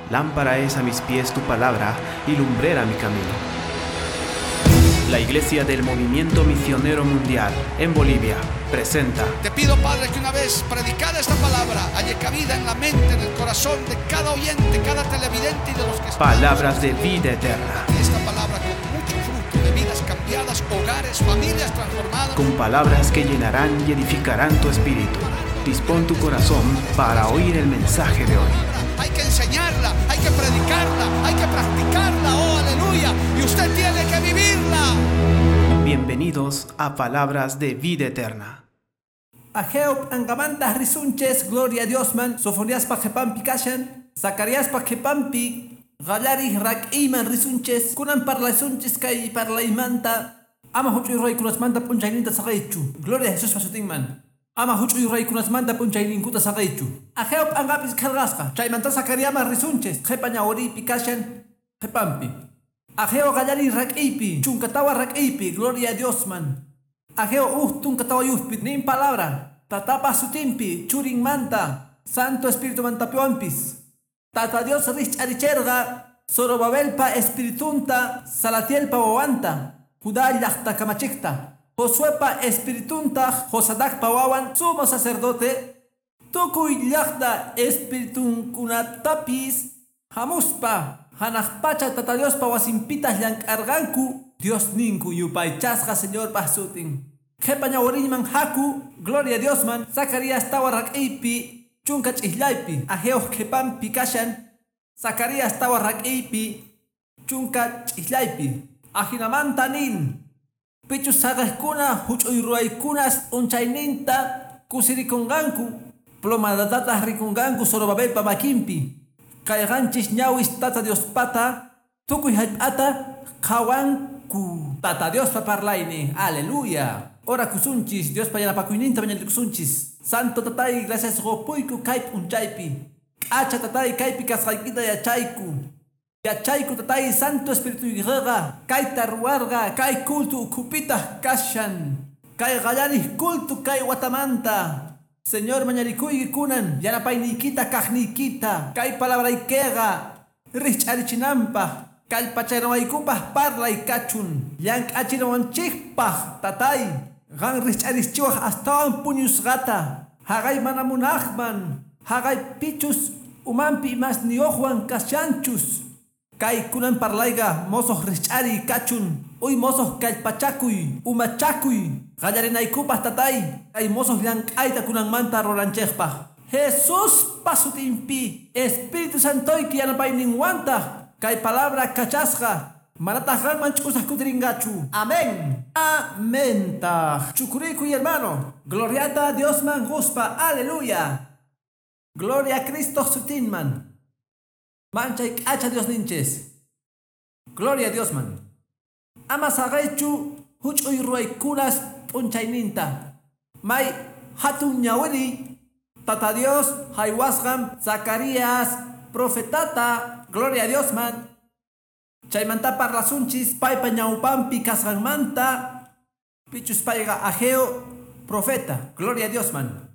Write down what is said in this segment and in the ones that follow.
Lámpara es a mis pies tu palabra y lumbrera mi camino. La Iglesia del Movimiento Misionero Mundial en Bolivia presenta. Te pido, Padre, que una vez predicada esta palabra haya cabida en la mente, en el corazón de cada oyente, cada televidente y de los que están. Palabras de vida eterna. Esta palabra con mucho fruto de vidas cambiadas, hogares, familias transformadas. Con palabras que llenarán y edificarán tu espíritu. Dispón tu corazón para oír el mensaje de hoy. Hay que enseñarla, hay que predicarla, hay que practicarla, oh aleluya, y usted tiene que vivirla. Bienvenidos a Palabras de Vida Eterna. Ageo p'anqamanta risunchis, gloria a Dios man, Sofoniaspa qhipanpi kashan, Zacariaspa qhipanpi, qallariq rak'iyman risunchis, kunan parlasunchis kay parlaymanta, ama huch'uy ruwaykunasmanta p'unchayninta saqaychu, gloria a Jesuspa sutinman. Ama huch'uy ruwaykunasmanta p'unchayninkuta saqaychu. Ageo p'anqapis qillqasqa, chaymanta Zacariasman risunchis, qhipa ñawiriypi kashan, qhipanpi. Ageo qallariy rak'iypi, 14 rak'iypi, gloria a Dios man. Ageo uj 14yuqpi, nin palabra, tatapa sutinpi, churinmanta, Santo Espíritu mantapiwanpis. Tata Dios rikch'aricherqa, Zorobabelpa espiritunta, Salatielpa wawanta, Judá llaqta kamachiqta. Josuepa espiritunta, Josadacpa wawan, sumo sacerdote, tukuy llaqta espiritunkunatapis, hamuspa, hanaq pacha Tata Diospa wasinpitaq llank'arqanku, Dios ninku yupaychasqa Señorpa sutin. Qhipa ñawiriyman haku, gloria a Dios man, Zacarías 4 rak'iypi, 12ypi, Ageo qhipanpi kashan, Zacarías 4 rak'iypi, 12ypi, ajinamanta nin. Pichus saqaqkuna huch'uy ruwaykunas p'unchayninta kusirikunqanku, plomadatataq rikunqanku Zorobabelpa makinpi. Kayqanchis ñawis Tata Diospata, tukuy hallp'ata qhawanku. Tata Diospa parlaynin, aleluya. Ora kusunchis, Diospa yanapakuyninta mañarikusunchis. Santo tatay, gracias qupuyku kay p'unchaypi. K'acha tatay kaypi kasqaykita yachayku. Yachayku tatay Santo Espíritu yqa kayta ruwarqa kay culto ukhupitaq kashan. Kay qallariq culto kay watamanta. Señor mañarikuyki kunan yanapayniykita kaqniykita kay palabraykiqa rikch'arichinanpaq kallpachaynawaykupaq parlay kachun llank'achinawanchikpaq tatay qan rikch'arichiwaq astawan puñusqata haqay mana munaqman haqay pichus umanpi imasniyuqwan kashanchus. Kay kunan parlayqa mosoq rikch'ariy kachun, uy mosoq kallpachakuy, umachakuy, qallarinaykupaq tatay, kay mosoq llank'ayta kunanmanta ruranchikpaq. Jesuspa sutinpi, Espíritu Santoyki yanapayninwantaq, kay palabra kachasqa, manataq qanman ch'usaq kutirinqachu. Amén. Amentaq. Chukurikuy hermano. Gloriata Diosman quspa. Aleluya. Gloria a Cristo sutinman. Manchay k'acha Dios ninchis. Gloria a Dios man. Ama saqaychu huch'uy ruwaykunas p'unchayninta. May hatun ñawiri Tata Dios haywasqan Zacarías profetata. Gloria a Dios man. Chaymanta parlasunchis paypa ñawpanpi kasqanmanta pichus payqa Ageo profeta. Gloria a Dios man.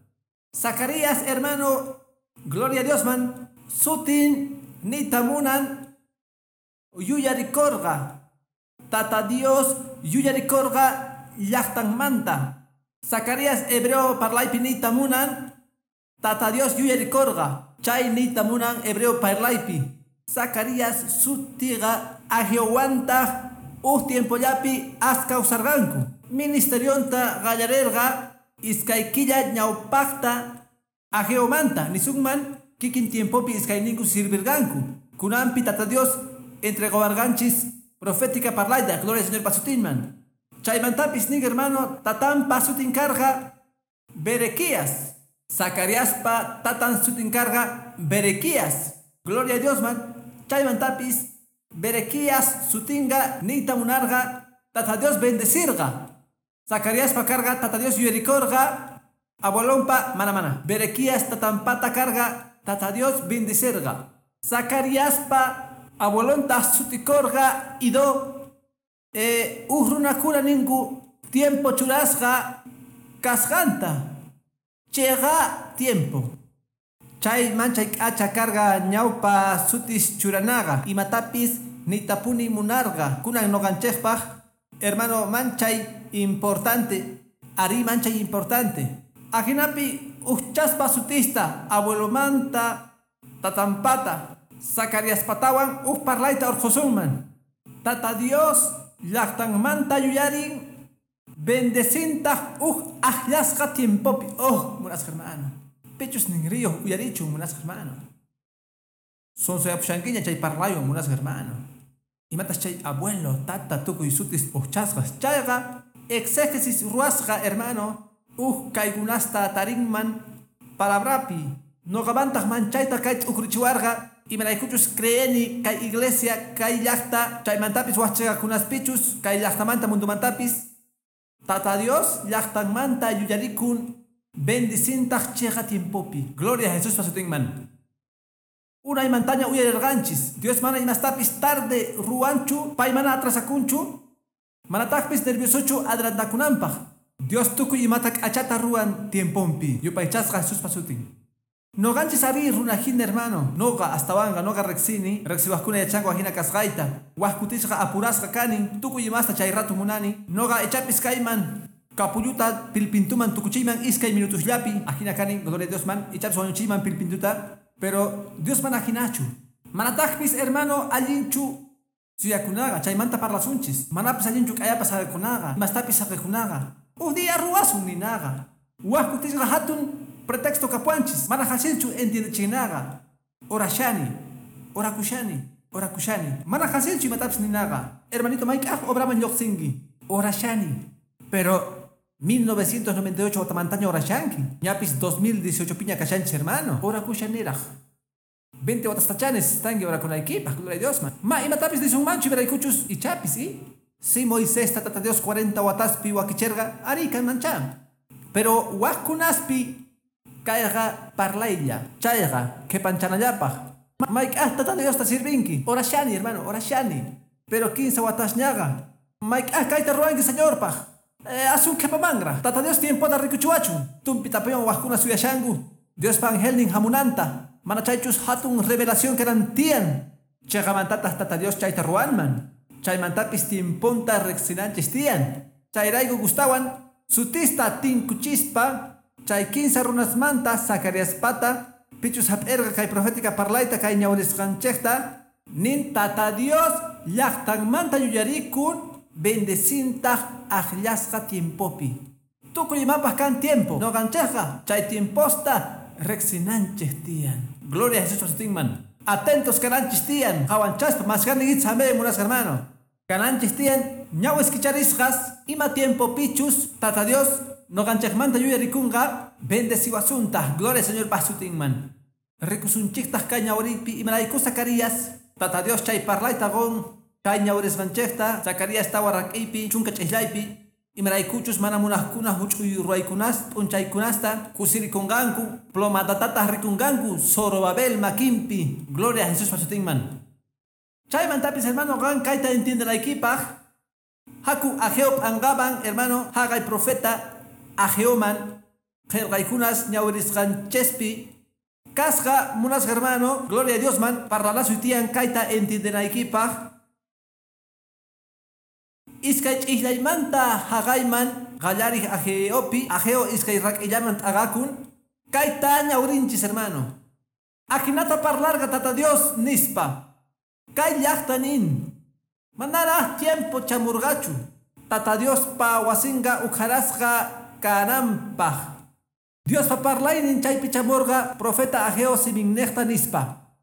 Zacarías hermano, gloria a Dios man. Sutin nita munan yuyarikorqa. Tata Dios yuyarikorqa llaqtanmanta. Zacarías hebreo parlaypi nita munan Tata Dios yuyarikorqa. Chay nita munan hebreo parlaypi. Zacarías sutiqa Ageowantaq uj tiempollapi askawsarqanku. Ministerionta qallarerqa iskay killa ñawpaqta Ageomanta nisunman kikin tiempopi iskayninku sirvirqanku. Kunanpi Tata Dios entregowarqanchis profética parlayta, gloria al Señor pasutinman. Chaymantapis nin hermano, tatan sutin karqa Berequías. Zacariaspa tatan sutin karqa Berequías. Gloria a Dios man. Chaymantapis Berequías sutinqa niyta munarqa Tata Dios bendecirqa. Zacariaspa karqa Tata Dios yuyarikorqa abuelonpa mana mana. Berequías tatanpata karqa Tata Dios bendecirqa. Zacariaspa abuelonta sutikorqa Ido uj runakuna ninku tiempo churasqa kasqanta. Chega tiempo. Chay manchay k'acha karqa ñawpa sutis churanaqa imatapis niytapuni munarqa kunan ñuqanchikpaq hermano manchay importante arí manchay importante ajinapi ujchaspa sutista abuelomanta tatampata Zacariaspatawan uj parlayta urqhusunman Tata Dios llaqtanmanta yuyarin bendecintaq uj aqllasqa tiempopi. Oh, munasqa hermano, pichus ninriyuq uyarichun munasqa hermano. Sonsoyapushankiña chay parlaywan munasqa hermano. Imatas chay abuelo, tata, tukuy sutis ujchasqas chayqa exégesis ruwasqa hermano uj kaykunasta tarinman palabrapi. Noqamantaq manchayta kay t'ukurichiwarqa imaraykuchus creeni kay iglesia kay llaqta chaymantapis wajchaqakunaspichus kay llaqtamanta mundumantapis Tata Dios llaqtanmanta yuyarikun bendicintaq chiqa tiempopi. Gloria a Jesús pasutinman. Unaymantaña uyarirqanchis Dios mana imastapis tarde ruwanchu pay mana atrasakunchu manataqpis nerviosochu adelantakunanpaq. Dios tukuy imata k'achata ruwan tiempompi. Yupaychasqa Jesús pasutin. Noqanchis ari runajina hermano. Noqa astawanqa noqa riqsini riqsiwaqkuna yachanku ajina kasqayta. Waj kutisqa apurasqa kani tukuy imasta chay rato munani. Noqa ichapis kayman kapulluta pilpintuman tukuchiyman iskay minutosllapi ajina kani gloria a Dios man ichapis wañuchiyman pilpintuta pero Dios mana ajinachu. Manataqpis hermano allinchu suyakunaqa chaymanta parlasunchis. Manapis allinchu k'ayapas saqikunaqa imastapis saqikunaqa. Uj día ruwasun ninaqa. Waj kutisqa hatun pretexto kapuanchis mana hasilchu entiendechinaqa. Orashani, orakushani, orakushani. Mana hasilchu imatapis ninaqa. Hermanito mayk'aq obraman lluqsinki. Orashani. Pero 1998 watamantaña orashanki. Ñapis 2018 piña kashanchis hermano. Orakushaniraq. 20 watastachanes estanki orakunaykipaq. Gloria a Dios man. Ma imatapis nisunmanchu imaraykuchus ichapis, ¿sí? Si Moisés tata Dios 40 wataspi wakicherqa ari kanmancha. Pero wajkunaspi kayqa parlaylla, chayqa qhipanchanallapaq. Mayk'aq tata Diosta sirvinki. Orashani hermano, orashani. Pero 15 watasñaqa. Mayk'aq kayta ruwanki Señorpaq. Asun qhipamanra. Tata Dios tiempota rikuchiwachun. Tumpi tapiwan wajkuna suyashanku. Diospa angelnin hamunanta. Mana chaychus hatun revelación kanan tiyan. Chayqamantataq tata Dios chayta ruwanman. Chaymantapis tiemponta riqsinanchis tiyan. Chayrayku gustawan sutista tinkuchispa chay 15 runasmanta Zacariaspata pichus hap'irqa kay profética parlayta kay ñawrisqanchikta nin Tata Dios llaqtanmanta yuyarikun bendecintaq aqllasqa tiempopi. Tukuy imapaq kan tiempo. Noqanchikqa chay tiemposta riqsinanchik tiyan. Gloria a Jesús pasutinman. Atentos kananchis tiyan. Qhawanchaspa mashkani itzame munasqa hermano. Kananchis tiyan ñawis kicharisqas ima tiempo pichus Tata Dios noqanchikmanta yuyarikunqa bendeciwasunta. Gloria al Señor pasutinman. Rikusunchiktaq kay ñawripi imarayku Zacarías Tata Dios chay parlayta qun kay ñawrisqanchikta Zacarías tawa rak'ipi chunka ch'isllaypi imaraykuchus mana munaqkuna huch'uy ruwaykunas p'unchaykunasta kusirikunqanku plomadatataq rikunqanku Zorobabel makinpi. Gloria a Jesús pasutinman. Chaymantapis hermano qan kayta entiendenaykipaq haku Ageo p'anqaman hermano haqay profeta Ageoman qillqaykunas ñawrisqanchikpi kasqa munasqa hermano gloria a Dios man parlanasu tiyan kayta entiendenaykipaq. Iskay ch'islaymanta haqayman qallariq Ageopi Ageo iskay rak'illaman t'aqakun kayta ñawrinchis hermano. Ajinata parlarqa Tata Dios nispa kay llaqta nin manaraq tiempo chamurqachu Tata Diospa wasinqa ukharasqa kananpaq. Diospa parlaynin chaypi chamurqa profeta Ageo siminniqta nispa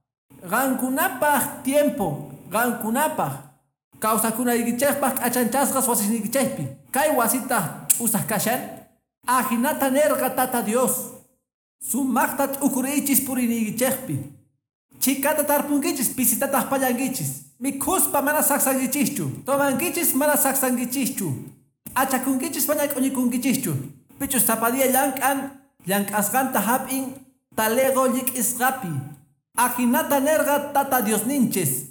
qankunapaq tiempo qankunapaq kawsakunaykichikpaq k'achanchasqas wasisniykichikpi kay wasita ch'usaq kashan ajinata nirqa Tata Dios sumaqta t'ukuriychis puriniykichikpi chikata tarpunkichis pisitataq pallankichis mikhuspa mana saksankichischu tomankichis mana saksankichischu p'achakunkichis mana k'uñikunkichishchu pichus sapa día llank'an llank'asqanta hap'in talego llik'isqapi ajinata nirqa Tata Diosninchis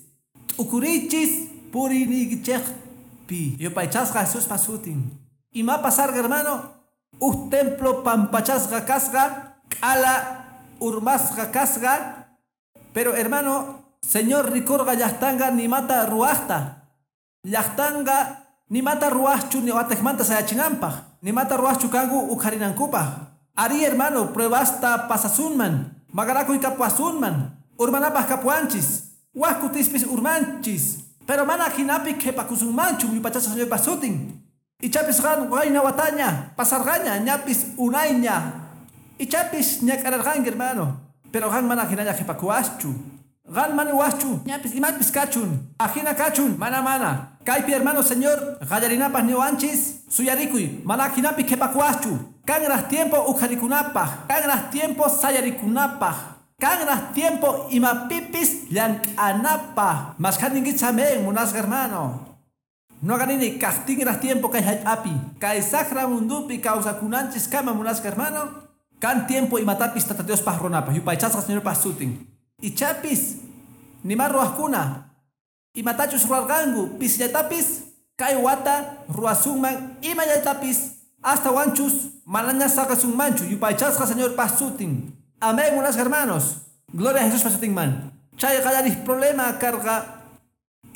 t'ukurichis puriniykichikpi. Yupaychasqa Jesús pasutin. Ima pasarqa hermano uj templo pampachasqa kasqa k'ala Urmasqa kasqa. Pero hermano, Señor rikurqa llaqtanga nimata ruwaqta. Llaqtanga nimata ruwaqchu ni wateqmanta sayachinanpaq. Nimata ruwaqchu kanku ukharinankupaq. Ari hermano, pruebasta pasasunman. Magarakuy kapuasunman. Urmanapaq kapuanchis. Waj kutispis urmanchis. Pero mana hinapi qhipakusunmanchu yupaychasqa Señorpa sutin. Ichapis qan wayna wataña, pasarqaña, ñapis unayña. Ichapis ñak'ararqanki hermano. Pero qan mana hinalla qhipakuwaschu. Qan mana waschu, ñapis imapis kachun. Ajina kachun, mana mana. Kaypi hermano Señor, qallarinapaq niwanchis, suyarikuy, mana hinapi qhipakuwaschu. Kanraq tiempo ukharikunapaq, kanraq tiempo sayarikunapaq. Kanraq tiempo imapipis llank'anapaq. Mashkhaninkichis amén, munasqa hermano. Noqanini kaqtinraq tiempo kay hallp'api. Kay saqra mundupi kawsakunanchis kama munasqa hermano. Kan tiempo imatapis Tata Diospaq runapaq, yupaychasqa Señorpaq sutin. Ichapis nima ruwaqkuna imatachus ruwarqanku pisillatapis kay wata ruwasunman imallatapis hasta wanchus manaña saqasunmanchu yupaychasqa Señorpaq sutin. Amén, munasqa hermanos. Gloria a Jesús sutinman. Chay qallariq problema karqa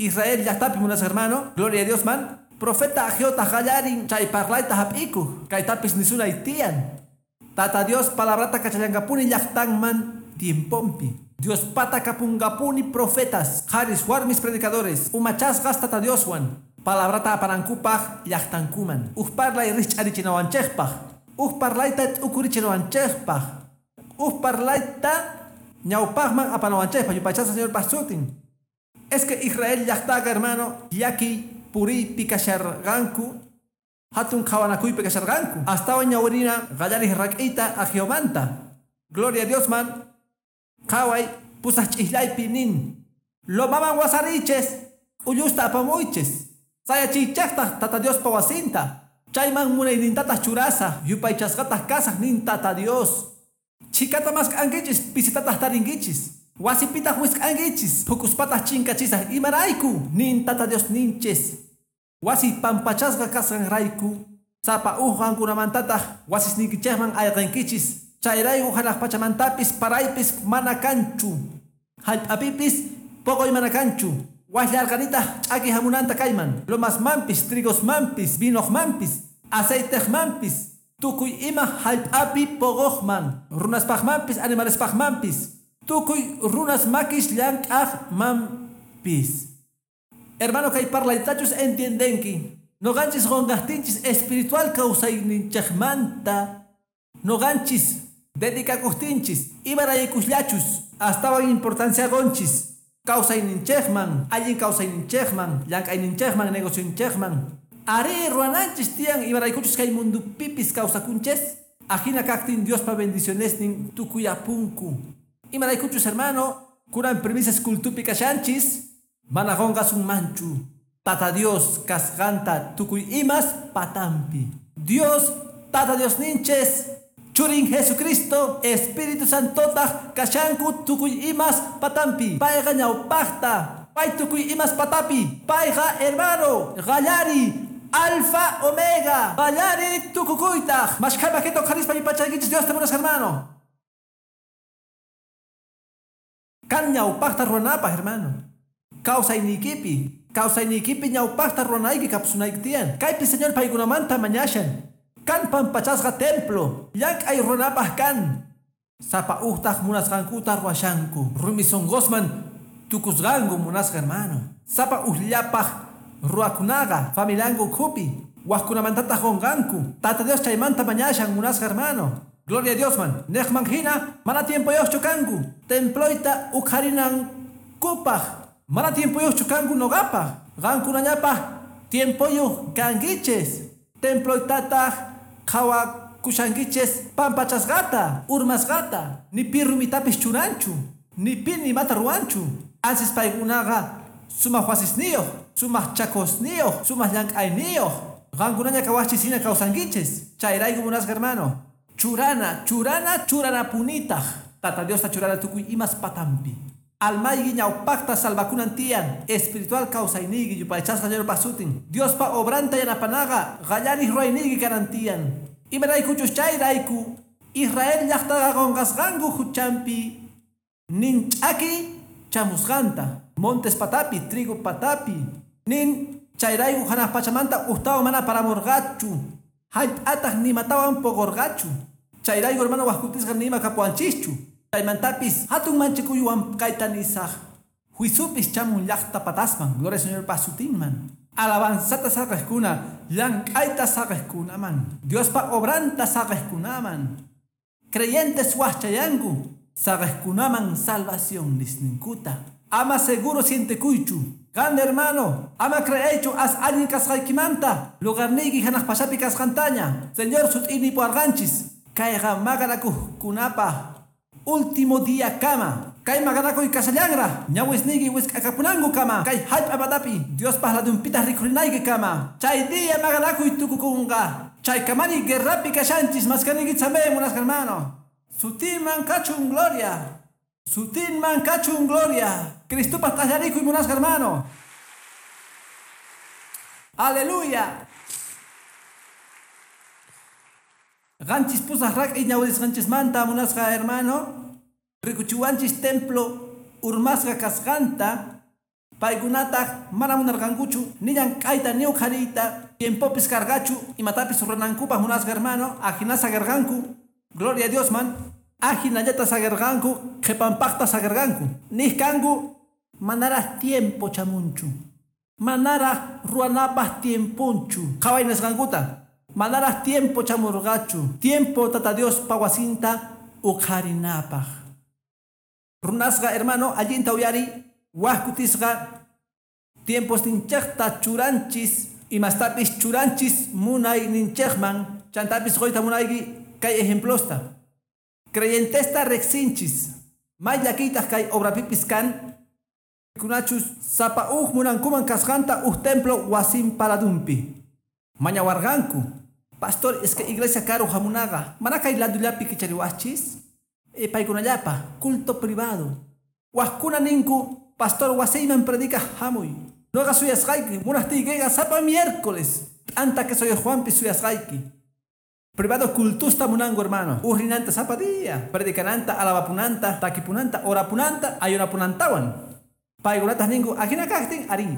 Israel llaqtapi munasqa hermano. Gloria a Dios man. Profeta Ageota qallarin chay parlayta hap'ikuq. Kaytapis nisunay tiyan. Tata Dios palabrata kachallankapuni llaqtanman tiempompi. Dios pata kapungapuni profetas, haris warmis predicadores, umachasqas Tata Dioswan. Palabrata apanankupaq llaqtankuman. Uj parlay rich'arichinawanchikpaq. Uj parlayta t'ukurichinawanchikpaq. Uj parlayta ñawpaqman apanawanchikpaq yupaychasqa Señorpa sutin. Es que Israel llaqtaqa hermano llakiy puriypi kasharqanku. Hatun qhawanakuypi kasharqanku. Astawan ñawirina qallariq rak'iyta Ageomanta. Gloria a Dios man. Qhaway pusaq ch'ijllaypi nin. Lomaman wasariches, k'ullusta apamuychis. Sayachiychaqtaq Tata Diospa wasinta. Chayman munaynintataq churasaq, yupaychasqataq kasaq nin Tata Dios. Chhikata mask'ankichis, pisitataq tarinkichis. Wasipitaq wisk'ankichis, phukuspataq chinkachisaq imarayku nin Tata Dios ninchis. Wasi pampachasqa kasqanrayku, sapa uj qankunamantataq wasisniykichikman ayqinkichis. Chayrayku hanaq pachamantapis paraypis mana kanchu. Hallp'apipis poqoy mana kanchu. Wasllarqanitaq ch'aki hamunanta kayman. Lomasmanpis, trigosmanpis, vinoqmanpis, aceitejmanpis, tukuy ima hallp'api poqoqman, runaspaqmanpis, animalespaqmanpis, tukuy runas makis llank'aqmanpis. Hermano, kay parlaytachus entiendenki. Noqanchis qunqaqtinchis espiritual kawsayninchikmanta. Noqanchis dedicakuqtinchis imaraykusllachus astawan importancia qunchis kawsayninchikman, allin kawsayninchikman, llank'ayninchikman, negocionchikman. Ari ruwananchis tiyan imaraykuchus kay mundupipis kawsakunchis. Ajina kaqtin Diospa bendicionesnin tukuyapunku. Imaraykuchus hermano, kunan premisas kultupi kashanchis. Mana qunqasunmanchu Tata Dios kasqanta tukuy imas patampi. Dios, Tata Dios ninches, Churin Jesucristo, Espíritu Santotaq kashanku tukuy imas patampi. Payqa ñawpaqta, pay tukuy imas patapi. Payqa hermano, qallari, Alfa Omega, qallari tukukuytaq. Mashkhamakito qharispa yupaychaykichis Dios te munasqa hermano. Kan ñawpaqta ruwanapaq hermano. Kawsaynikipi, kawsaynikipi ñawpaqta ruwanayki kapsunayki tiyan. Kaypi Señor paykunamanta mañashan. Kan pampachasqa templo, llank'ay ruwanapaq kan. Sapa uhtaq munasqankuta ruwashanku. Rumi sunqusman tukusqanku munasqa hermano. Sapa ujllapaq ruwakunaqa familianku ukhupi. Wajkunamantataq qunqanku. Tata Dios chaymanta mañashan munasqa hermano. Gloria a Dios man. Neqman hina mana tiempoyuqchu kanku. Temployta ukharinankupaq. Mana tiempoyuqchu kanku noqapaq. Qankunañapaq tiempoyuq kankichis. Temploytataq qhawakushankichis pampachasqata, urmasqata. Ni pi rumitapis churanchu, ni pi nimata ruwanchu. Ansis paykunaqa sumaq wasisniyuq, sumaq chakosniyuq, sumaq llank'ayniyuq. Qankunaña kawaqchis hina kawsankichis. Chayrayku munasqa hermano. Churana, churana, churanapunitaq. Tata Diosta churana tukuy imas patampi. Almayki ñawpaqta salvakunan tiyan. Espiritual kawsayniyki yupaychasqa Señorpa sutin. Diospa obranta yanapanaqa qallariq ruwayniyki kanan tiyan. Imaraykuchus chayrayku Israel llaqtaqa qunqasqanku huchanpi nin ch'aki chamusqanta montes patapi, trigo patapi nin chayrayku hanaq pachamanta ujtawan mana paramurqachu hallp'ataq nimatawan puqurqachu chayrayku hermano waqkutisqa nima kapuwanchischu chaymantapis hatun manchikuywan kayta nisaq juiciupis chamun llaqta patasman gloria Señor pasutinman alabanzata saqejkuna llank'ayta saqejkunaman Diospa obranta saqejkunaman creyentes waqchayanku saqejkunaman salvación nisninkuta ama seguro sientekuychu qan hermano ama creeychu as allin kasqaykimanta lugarniyki hanaq pachapi kasqantaña Señor sut'ini puwarqanchis kayqa maqanakuqkunapaq último día kama kay maqanakuy kashallanra ñawisniyki wisk'akapunanku kama kay hallp'a patapi Diospaq ladunpitaq rikhurinayki kama chay día maqanakuy tukukunqa chay kamani guerrapi kashanchis maskaniyki tzamé munasqa hermano sutinman kachun gloria sutinman kachun gloria Cristopaq t'allarikuy munasqa hermano aleluya Qanchis pusaq rak'i ñawirisqanchismanta munasqa hermano rikuchiwanchis templo urmasqa kasqanta paykunataq mana munarqankuchu ni llank'ayta ni uqhariyta tiempopis karqachu imatapis ruranankupaq munasqa hermano ajina saqirqanku gloria a Diosman ajinallata saqirqanku qhipanpaqta saqirqanku niq kanku manaraq tiempo chamunchu manaraq ruwanapaq tiemponchu qhaway nisqankuta manaraq tiempo chamurqachu tiempo tata Diospa wasinta uqharinapaq runasqa hermano allinta uyari waq kutisqa tiempos ninchaqta churanchis imastapis churanchis munay ninchaqman chantapis qoyta munayki kay ejemplosta creyentesta riqsinchis may llakiytaq kay obrapipis kan kunachus sapa uj munankuman kasqanta uj templo wasin paladunpi mañawarqanku pastor es que iglesia karu hamunaqa mana kay ladullapi kichariwachis paykunallapa culto privado waqkuna ninku pastor wasiyman predica hamuy noqa suyasqayki munaqtiykiqa sapa miércoles t'anta que soy Juanpi suyasqayki privado cultusta munanku hermano uj rinanta sapa día predicananta alabapunanta takipunanta orapunanta ayunapunantawan paykunataq ninku ajina kaqtin arí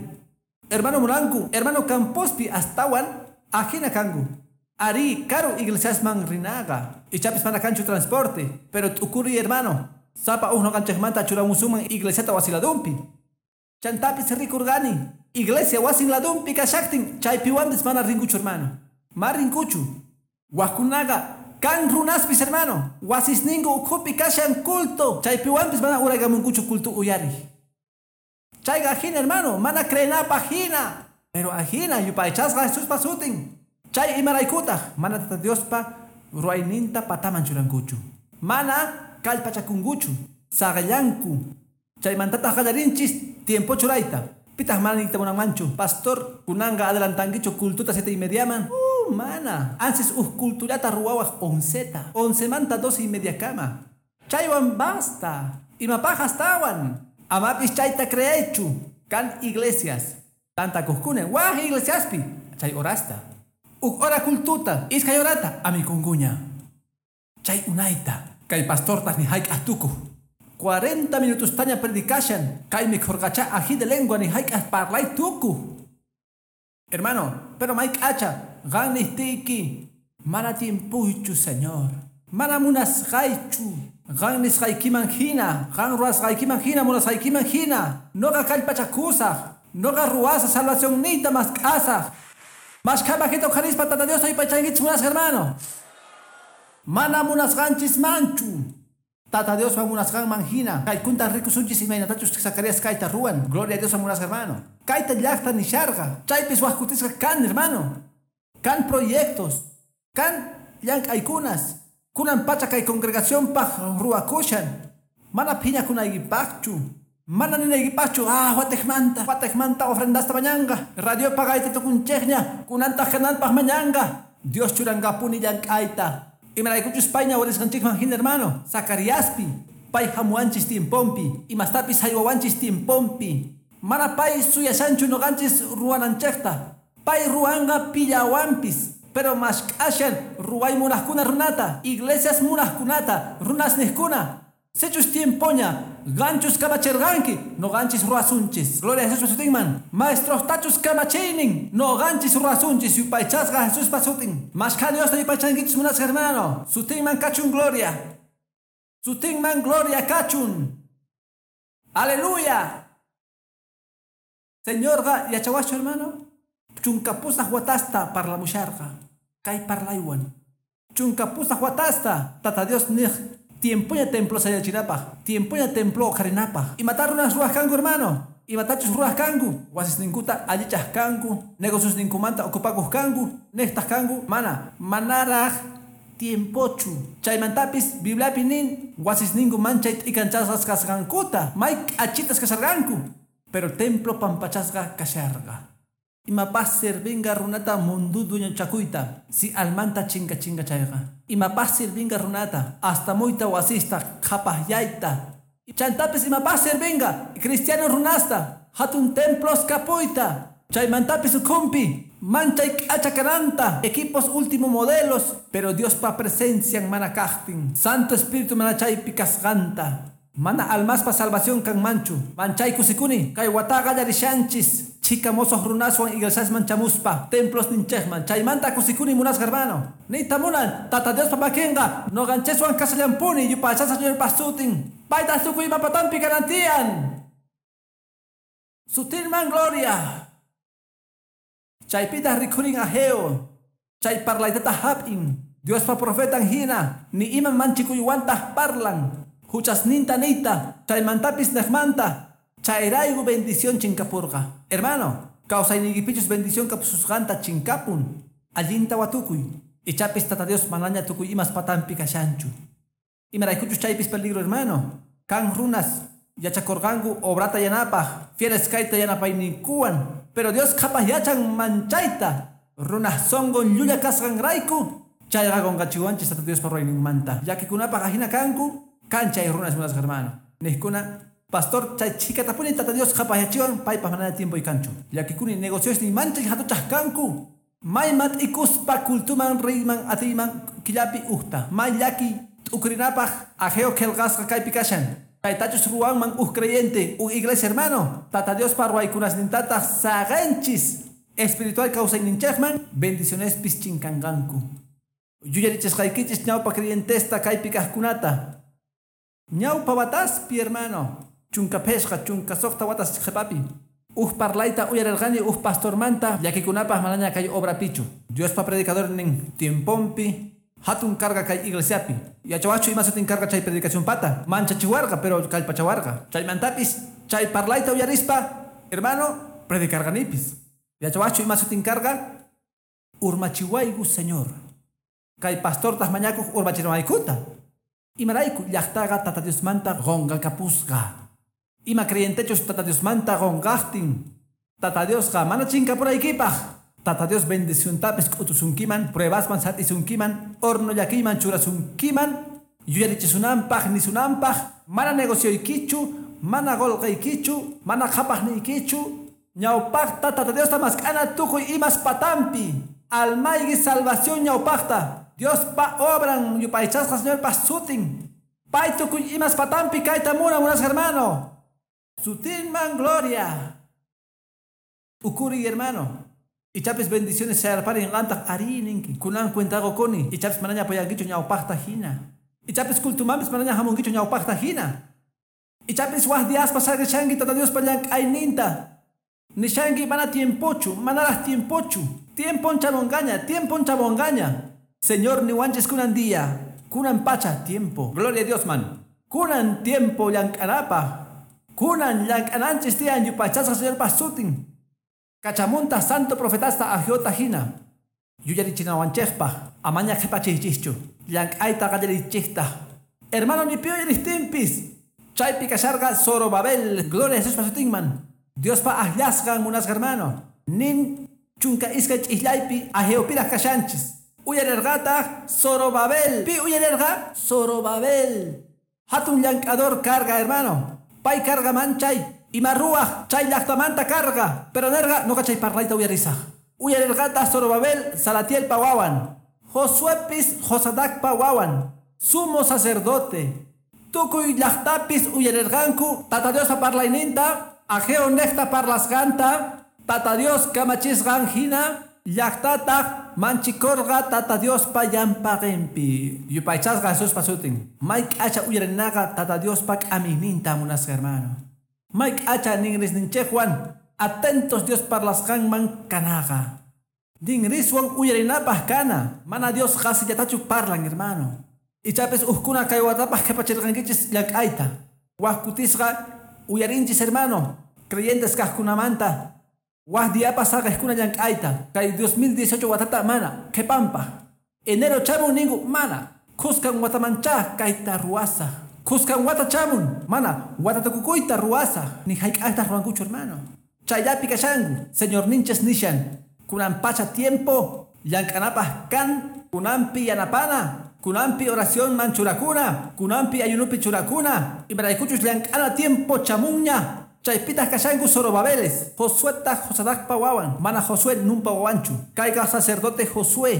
hermano munanku hermano campospi astawan ajina kanku arí karu iglesiasman rinaqa ichapis mana kanchu transporte pero t'ukuri hermano sapa uj noqanchikmanta churamusunman iglesiata wasi ladunpi chantapis rikurqani iglesia wasin ladunpi kashaqtin chaypiwanpis mana rinkuchu hermano ma rinkuchu waqkunaqa kan runaspis hermano wasisninku ukhupi kashan culto chaypiwanpis mana uraykamunkuchu culto uyariq chayqa ajina hermano mana creenapaq hina pero ajina yupaychasqa Jesuspa sutin chay imaraykutaq mana tata Diospa ruwayninta pataman churankuchu mana kallpachakunkuchu saqallanku chaymantataq qallarinchis tiempo churayta pitaq mana niyta munanmanchu pastor kunanqa adelantankichu cultuta 7:30man mana ansis uj cultullata ruwawaq 11ta 11manta 12:30 kama chaywan basta imapaq astawan amapis chayta creeychu kan iglesias tantakuqkuna waq iglesiaspi chay horasta uj hora cultuta iskay horata amikunkuña chay unayta kay pastortaq ni hayk'aq tukuq 40 minutostaña predicashan kay mikhurqacha ají de lengua ni hayk'aq parlay tukuq hermano pero mayk'acha qan niqtiyki mana tiempuychu señor mana munasqaychu qan nisqaykiman hina qan ruwasqaykiman hina munasqaykiman hina noqa kallpachakusaq noqa ruwasaq salvacionniyta mask'asaq mashkha makita uqharispa tata Diosta yupaychankichis munasqa hermano mana munasqanchismanchu Tata Diospa munasqanman hina kaykunta rikusunchis imaynatachus Zacarías kayta ruwan gloria a Dios munasqa hermano kayta llaqta nisharqa chaypis waq kutisqa kan hermano kan proyectos kan llank'aykunas kunan pacha kay congregacionpaq ruwakushan mana phiñakunaykipaqchu mana ninaykipaqchu watejmanta ofrendasta mañanqa radio pagayta tukunchikña kunantaq kananpaq mañanqa Dios churanqapuni llank'ayta imaraykuchus payña warisqanchikman hina hermano Zacariaspi pay hamuwanchis tiemponpi imastapis haywawanchis tiemponpi mana pay suyashanchu noqanchis ruwananchikta pay ruwanqa pillawanpis Pero mask'ashan ruway munaqkuna runata, iglesias munaqkunata, runas niqkuna. Sichus tiempoña, ganchus kamachirqanki, noqanchis ruwasunchis. Gloria a Jesuspa sutinman. Maestroqtachus kamachiynin, noqanchis ruwasunchis yupaychasqa Jesuspa sutin. Mashkha Diosta yupaychankichis munasqa hermano. Sutinman kachun gloria. Sutinman gloria kachun. Aleluya. Señorqa yachawaschu hermano. Chunka pusaq watasta parlamusharqa. Kay parlaywan. Chunka pusaq watasta. Tata Dios niq tiempoña templo sayachinapaq, tiempoña templo uqharinapaq. Imata runas ruwaq kanku hermano? Imatachus ruwaq kanku? Wasisninkuta allichaq kanku, negociosninkumanta ocupakuq kanku, niqtaq kanku, mana, manaraq tiempochu. Chaymantapis Bibliapi nin wasisninku manchay t'ikanchasqas kasqankuta, may k'achitas kasharqanku, pero templo pampachasqa kasharqa. Imapaq sirvinqa runata mundu dueñochakuyta si almanta chinka chinka chayqa. Imapaq sirvinqa runata hasta muyta wasista qhapaqyayta. Chantapis imapaq sirvinqa cristiano runasta hatun templos kapuyta. Chaymantapis ukhunpi manchay k'acha kananta equipos último modelos, pero Diospa presencian mana kaqtin. Santo Espíritu mana chaypi kasqanta. Mana almaspa salvación kanmanchu. Manchay kusikuni kay wataqa qallarishanchis. Chika mozos runaswan iglesiasman chamuspa templos ninchejman chaymanta kusikuni munasqa hermano. Niyta munan Tata Diospa makinqa noqancheswan kashallampuni yupaychasqa Señorpa sutin. Payta tukuy ima patampi kanan. Sutinman gloria. Chaypita rikhurin Ageo. Chay parlaytata hap'in. Diospa profetan hina ni iman manchikuywantaq parlan. Huchasninta niyta chaymantapis niqmanta. Chayrayku bendición chinkapurqa. Hermano, kawsayniykipichus bendición kapususqanta chinkapun. Allinta watukuy. Ichapis Tata Dios manaña tukuy imas patampi kashanchu. Imaraykuchus chaypis peligro hermano. Kan runas yachakurqanku obrata yanapaq, fieles kayta yanapayninkuwan. Pero Dios qhapaq yachan manchayta. Runaj sonqon llulla kasqanrayku. Chayqa qunqachiwanchis Tata Diospa ruwayninmanta. Llakikunapaq ajina kanku, kan chay runas munasqa hermano. Niqkuna, pastor chay chhikatapuni Tata Dios qhapaqyachiwan paypaq manaña tiempo kanchu. Llakikuni negociosnin manchay hatuchaq kanku. May mat'ikuspa cultuman riyman atiyman killapi ujta. May llaki t'ukurinapaq Ageo qillqasqa kaypi kashan. Chaytachus ruwanman uj creyente, uj iglesia hermano. Tata Diospa ruwaykunasnintataq saqenchis. Espiritual kawsayninchikman bendicionespis chinkanqanku. Yuyarichisqaykichis ñawpa creyentesta kaypi kaqkunata. Ñawpa wataspi hermano. Chunka phishqa, chunka suqta watas qhipapi. Uj parlayta uyarirqani uj pastormanta llakikunapaq manaña kay obrapichu. Diospa predicadornin tiemponpi hatun carga kay iglesiapi. Yachawachu ima sutin carga chay predicación pata. Manchachiwarqa pero kallpachawarqa. Chaymantapis chay parlayta uyarispa hermano predicarqanipis. Yachawachu ima sutin carga urmachiwayku Señor. Kay pastortaq mañakuq urmachinamaykuta. Imarayku llaqtaqa Tata Diosmanta qunqakapusqa. Ima creyentechus Tata Diosmanta qunqaqtin. Tata Diosqa mana chinkapuraykipaq. Tata Dios bendiciontapis k'utusunkiman, pruebasman sat'isunkiman, horno llakiyman churasunkiman, yuyarichisunanpaq nisunanpaq, mana negocioykichu, mana qolqaykichu, mana qhapaqniykichu, ñawpaqta Tata Diosta mask'ana tukuy imas patampi. Almayki salvación ñawpaqta. Diospa obran yupaychasqa Señorpa sutin. Pay tukuy imas patampi kayta munan munasqa hermano. Sutinman gloria. Ukuri hermano. Ichapis bendiciones sayarparin qantaq ari ninki. Kunan cuentago koni. Ichapis manaña apoyankichu ñawpaqta hina. Ichapis cultumanpis manaña hamunkichu ñawpaqta hina. Ichapis waj diaspa saqishanki Tata Diospa llank'ayninta. Nishanki mana tiempochu, manaraq tiempochu. Tiempon chamongaña, tiempon chamongaña. Señor niwanchis kunan día, kunan pacha tiempo. Gloria a Dios man. Kunan tiempo llank'anapaq. Kunan llank'ananchis tiyan yupaychasqa Señorpa sutin. Kachamunta santo profetasta Ageota hina. Yuyarichinawanchikpaq amaña qhipachiychischu. Llank'ayta qallarichiqta. Hermano ni pi uyariptinpis. Chaypi kasharqa Zorobabel. Gloria a Jesuspa sutinman. Diospa akllasqan munasqa hermano. Nin chunka iskay ch'islaypi Ageopiraq kashanchis. Uyarirqataq Zorobabel. Pi uyarirqa Zorobabel. Hatun llank'ador carga hermano. Pay carga manchay. Ima ruwaq chay llaqtamanta carga. Pero nerqa noqa chay parlayta uyarisaq. Uyarirqataq Zorobabel Salatielpa wawan, Josuepis Josadacpa wawan, sumo sacerdote. Tukuy llaqtapis uyarirqanku Tata Diospa parlayninta, Ageo nejta parlasqanta, Tata Dios kamachisqan hina, llaqtataq manchikorqa Tata Diospa llampaqinpi. Yupaychasqa Jesuspa sutin. May k'acha uyarinaqa Tata Diospa k'amiyninta, munasqa hermano. May k'acha ninrisninchikwan atentos Dios parlasqanman kanaqa. Ninriswan uyarinapaq kana, mana Dios qasillatachu parlan, hermano. Ichapis ukkuna kay watapaq qhipachirqankichis llank'ayta. Wak kutisqa uyarinchis, hermano, creyentes kaqkunamanta. Wak diapas saqejkuna llank'ayta. Kay 2018 watata mana, qhipanpaq. Enero chamun ninku mana, khuskan watamancha kayta ruwasaq. Khuskan wata chamun, mana, wata tukukuyta ruwasaq. Ni hayk'aqtaq ruwankuchu, hermano. Chayllapi kashanku, Señor ninchis nishan. Kunan pacha tiempo, llank'anapaq kan, kunanpi yanapana, kunanpi oración man churakuna, kunanpi ayunupi churakuna, imaraykuchus llank'ana tiempo chamunña. Chaypitaq kashanku Zorobabeles, Josueta Josadacpa wawan, mana Josué numpa wawanchu. Kayqa sacerdote Josué,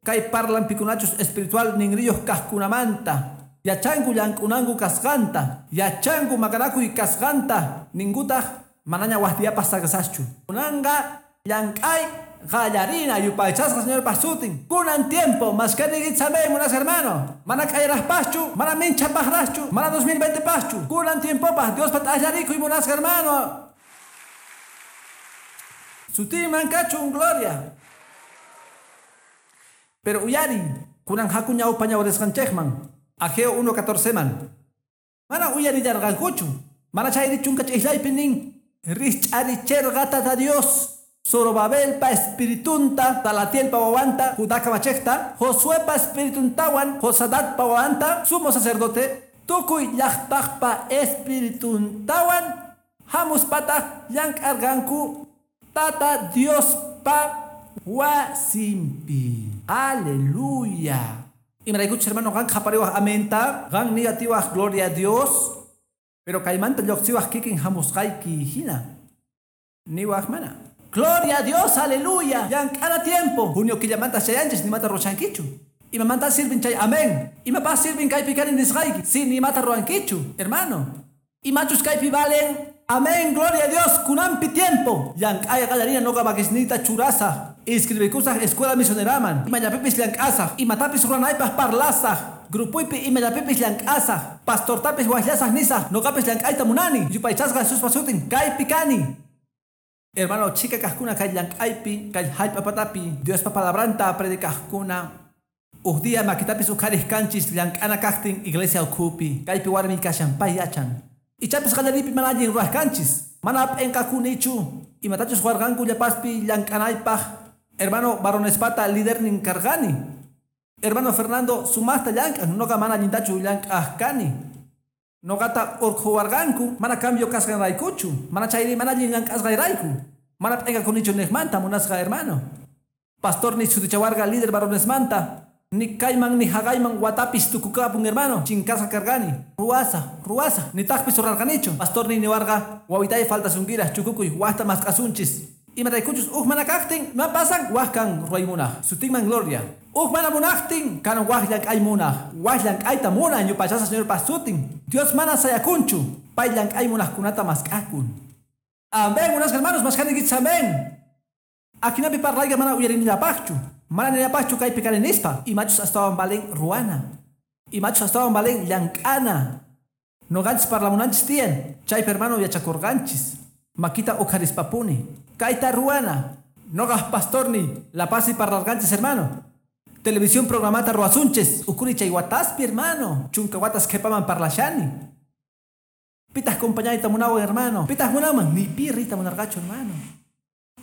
kay parlan pikunachus espiritual ninriyuq kaqkunamanta. Yachanku llank'unanku kasqanta, yachanku maqanakuy kasqanta, ninkutaq manaña waqtiyapas saqisaschu. Kunanqa llank'ay qallarina yupaychasqa Señorpa sutin. Kunan tiempo, maskani amén, munasqa hermano. Mana k'ayraqpaschu, mana minchapaqraqchu, mana 2020 paschu. Kunan tiempopaq Diospa t'allarikuy, munasqa hermano. Sutinman kachun gloria. Pero uyari, kunan haku ñawpa ñawrisqanchikman. Ageo 1:14 man. Mana uyarillarqankuchu. Mana chayri chunka ch'islaypi nin. Rich'aricherqa Tata Dios. Zorobabelpa espiritunta, Salatielpa wawanta, Judá kamachejta, Josuepa espirituntawan, Josadacpa wawanta, sumo sacerdote, tukuy llaqtaqpa espirituntawan, hamuspataq llank'arqanku Tata Diospa wasinpi. Aleluya. Imaraykuchus hermano qan qhapariwaq amenta, qan niyatiwaq gloria a Dios, pero kaymanta lluqsiwaq kikin hamusqayki hina. Niwaq mana. Gloria a Dios, aleluya. Llank'ana tiempo. Junio killamanta chayanchis nimata ruwashankichu. Imamanta sirvin chay amén. Imapas sirvin kaypi kani nisqayki. Si nimata ruwankichu, hermano. Imachus kaypi valen. Amén, gloria a Dios. Kunanpi tiempo. Llank'ay qallarina noqa makisniyta churasaq. Inscribikusaq escuela misioneraman. Imallapipis llank'asaq. Imatapis ruwanaypaq parlasaq. Grupuypi imallapipis llank'asaq. Pastortapis waqllasaq nisaq. Noqapis llank'ayta munani. Yupaychasqa Jesuspa sutin. Kaypi kani. Hermano, chica kajkuna kay llank'aypi, kay hallp'a patapi, Diospa palabranta predicajkuna. Uj día makitapis uqhariq kanchis llank'ana kaqtin iglesia ukhupi, kaypi warmi kashan pay yachan. Ichapis qallaripi mana allin ruwaq kanchis, mana p'inqakunichu, imatachus warqanku llapaspi llank'anaypaq. Hermano varonespata lidernin karqani. Hermano Fernando sumaqta llank'an, noqa mana allintachu llank'aq kani. Noqata urqhuwarqanku, mana cambio kasqanraykuchu, mana chayri mana allin llank'asqayrayku, mana p'inqakunichu niqmanta, munasqa hermano. Pastor ni sutichawarqa líder varonesmanta, ni kayman ni haqayman watapis tukukapun hermano, chinkasqa karqani, ruwasaq, ruwasaq, nitaqpis rurarqanichu. Pastor ni niwarqa, wawitay faltasunkiraq chukukuy waqta mask'asunchis. Imaraykuchus uj mana kaqtin, ima pasan waq kan ruwaymunaq, sutinman gloria. Uj mana munaqtin, kan waq llank'ay munaq, waq llank'ayta munan yupaychasqa Señorpa sutin. Dios mana sayakunchu, pay llank'ay munaqkunata mask'akun. Amén, munasqa hermanos, mask'anikichis amén. Ajinapi parlayqa mana uyarinillapaqchu, mana nillapaqchu kaypi kani nispa. Imachus astawan valen ruwana, imachus astawan valen llank'ana. Noqanchis parlamunanchis tiyan, chaypi hermano yachakurqanchis. Makita uqharispapuni. Kayta ruwana. Noqaj pastorni, La Paz y parlarqanchis hermano. Televisión programata ruwasunchis, ukuri chay wataspi hermano. Chunka watas qhipaman parlashani. Pitaq compañayta munawan hermano. Pitaq munaman, ni pi riyta munarqachu hermano.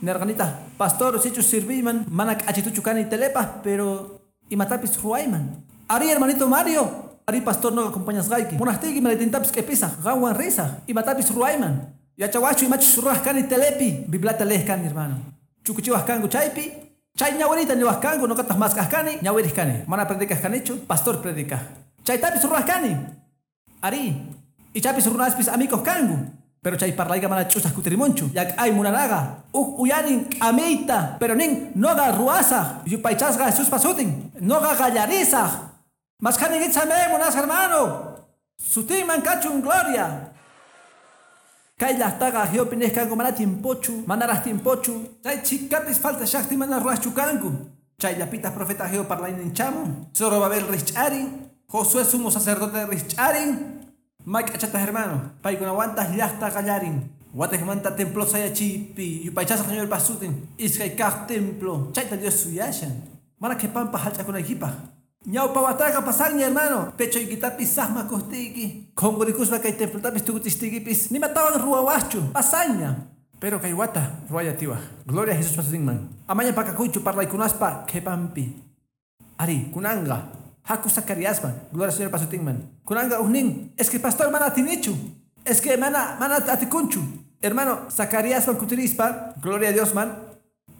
Nerqanitaq, pastor sichus sirviyman, mana k'achituchu kani telepaq, pero imatapis ruwayman. Ari hermanito Mario, ari pastor noqa acompañasqayki. Munaqtiyki maletintapis q'ipisaq, qanwan risaq, imatapis ruwayman. Yachawaqchu imachus ruwaq kani telepi, Bibliata leej kani hermano. Chukuchiwaq kanku chaypi, chay ñawirita niwaq kanku, noqataq mask'aq kani, ñawiriq kani. Mana predicaq kanichu, pastor predicaq. Chaytapis ruwaq kani. Ari, ichapis runaspis amigos kanku. Pero chay parlayqa mana ch'usaq kutirimunchu. Llak'ay munanaqa. Uj uyarin k'amiyta, pero nin noqa ruwasaq. Yupaychasqa Jesuspa sutin. Noqa qallarisaq. Mashkhaninkichis amén, munasqa hermano. Sutinman kachun gloria. Kay llaqtaqa Aggeopi niq kanku mana tiempochu, manaraq tiempochu. Chay chhikapis falta shaqti mana ruwaschu kanku. Chayllapitaq profeta Aggeo parlaynin chamun. Zorobabel rich'arin, Josué sumo sacerdote rich'arin. Mayk'achataq hermano, paykunawantaq llaqta qallarin. Watejmanta templo sayachiypi, yupaychasqa Señorpa sutin, iskay kaq templo, chayta Dios suyashan. Mana qhipanpaq hallch'akunaykipaq. Ñawpa wataqa pasanña hermano, pechoykitapis saqmakuqtiyki, qunqurikuspa kay templotapis tukuchistiykipis, nimatawan ruwawaqchu, pasanña. Pero kay wata ruwayatiwaq. Gloria a Jesuspa sutinman. Amaña pakakuychu parlaykunaspa qhipanpi. Ari, kunanqa. Haku Zacariasman, gloria al Señorpa sutinman. Kunanqa ujnin, es que pastor mana atinichu. Es que mana atikunchu. Hermano, Zacariasman kutirispa, gloria a Dios man.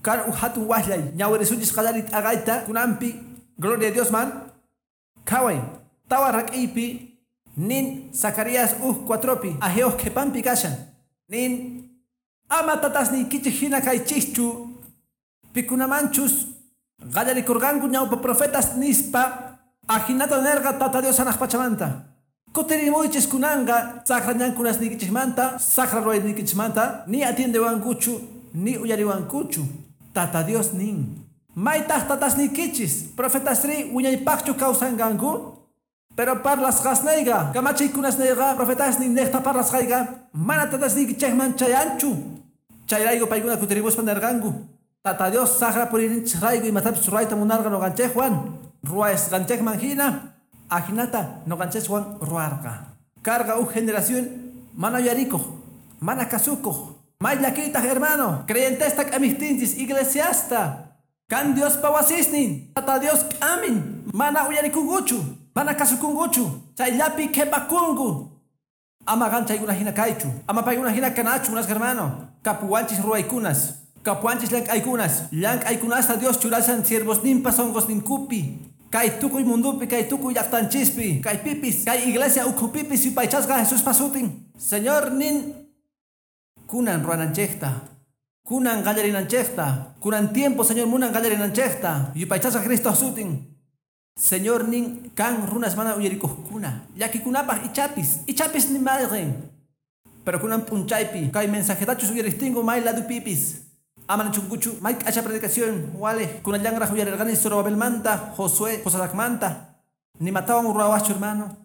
Kan uj hatun wajllay, ñawirisunchis qallarit agayta, kunanpi, gloria a Dios man. Qhaway, tawa rak'iypi, nin Zacarías uj 4pi, Aggeo qhipanpi kashan. Nin, ama tatasniykichik hina kaychischu, pikunamanchus, qallarikurqanku ñawpa profetas nispa, ajinata nerqa tata Dios hanaq pachamanta. Kutirimuychis kunanqa saqra ñankunasniykichismanta, saqra ruwayniykichismanta, ni atiendewankuchu, ni uyariwankuchu. Tata Dios nin. Maytaq tatasniykichis, profetasri wiñaypaqchu kawsanqanku? Pero parlasqasnayqa, kamachiykunasnayqa, profetasnin niqta parlasqayqa, mana tatasniykichikman chayanchu. Chayrayku paykuna kutirimuspa nerqanku. Tata Dios saqra purininchis rayku imatapis ruwayta munarqa noqanchikwan. Ruwasqanchikman hina, ajinata noqanchikwan ruwarqa. Carga uj generación mana uyarikuq, mana kasukuq. May llakiytaq hermano, creyentesta k'amijtinchis iglesiasta. Kan Diospa wasisnin, Tata Dios k'amin, mana uyarikunkuchu, mana kasukunkuchu, chayllapi qhipakunku. Ama qan chaykuna hina kaychu, ama paykuna hina kanachu, munasqa hermano. Kapuwanchis ruwaykunas, kapuwanchis llank'aykunas, llank'aykunasta Dios churashan siervosninpa sunqusninkupi. Kay tukuy mundupi, kay tukuy llaqtanchispi, kay pipis, kay iglesia ukhupipis yupaychasqa Jesuspa sutin. Señor nin kunan ruwananchikta, kunan qallarinanchikta, kunan tiempo Señor munan qallarinanchikta, yupaychasqa Cristo sutin. Señor nin kan runas mana uyarikuqkuna, llakikunapaq ichapis, ichapis ni mayqin. Pero kunan p'unchaypi, kay mensajetachus uyaristingu may ladupipis. Ama nichunkuchu, may k'acha predicación, wale, kunallanraq uyarirqani Zorobabelmanta, Josué, Josadacmanta. Nimatawan ruwawaqchu hermano.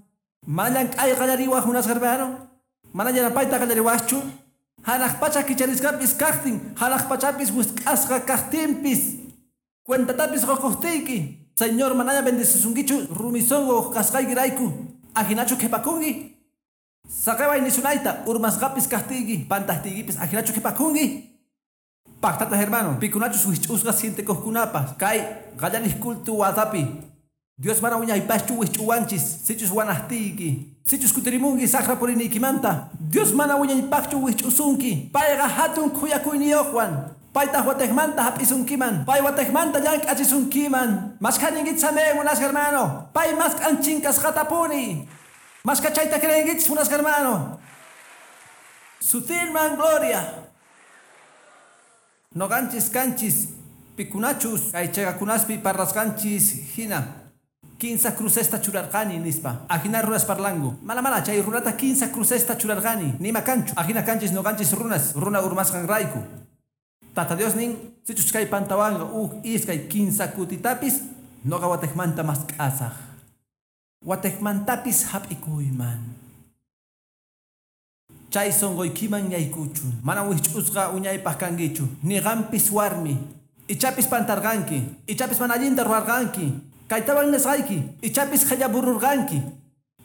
Mana llank'ay qallariwaq munasqa hermano. Mana yanapayta qallariwaqchu. Hanaq pacha kicharisqapis kaqtin, hanaq pachapis wisq'asqa kaqtinpis. Cuentatapis qukuqtiyki. Señor manaña bendecisunkichu rumi sunqu kasqaykirayku. Ajinachu qhipakunki. Saqeway nisunayta urmasqapis kaqtiyki, pantaqtiykipis ajinachu qhipakunki. Pactata hermano, pikunachus wich'usqa sientekuqkunapas, kay qallarij culto watapi. Dios mana wiñaypaschu wich'uwanchis, sichus wanaqtiyki, sichus kutirimunki saqra puriniykimanta. Dios mana wiñaypaqchu wich'usunki, payqa hatun khuyakuyniyuqwan. Paytaq watejmanta hap'isunkiman, pay watejmanta llank'achisunkiman. Mashkhaninkichis amén, munasqa hermano. Pay mask'an chinkasqatapuni. Mashkha chayta creenkichis, munasqa hermano. Sutinman gloria. Noqanchis kanchis pikunachus kay chayqakunaspi parlasqanchis hina. Kinsa crucesta churarqani nispa. Ajina runas parlangu. Mana mana chay runata kinsa crucesta churarqani. Nima kanchu. Ajina kanchis noqanchis runas. Runa urmasqanrayku. Tata Dios nin sichus kay pantawanqa uj iskay kinsa kutitapis noqa watejmanta mask'asaq. Watejmantapis hap'ikuyman. Chay sunquykiman yaykuchun. Mana wich'usqa uñaypaq kankichu. Ni qampis warmi. Ichapis pantarqanki. Ichapis mana allinta ruwarqanki. Kaytawan nisqayki. Ichapis qhallabururqanki.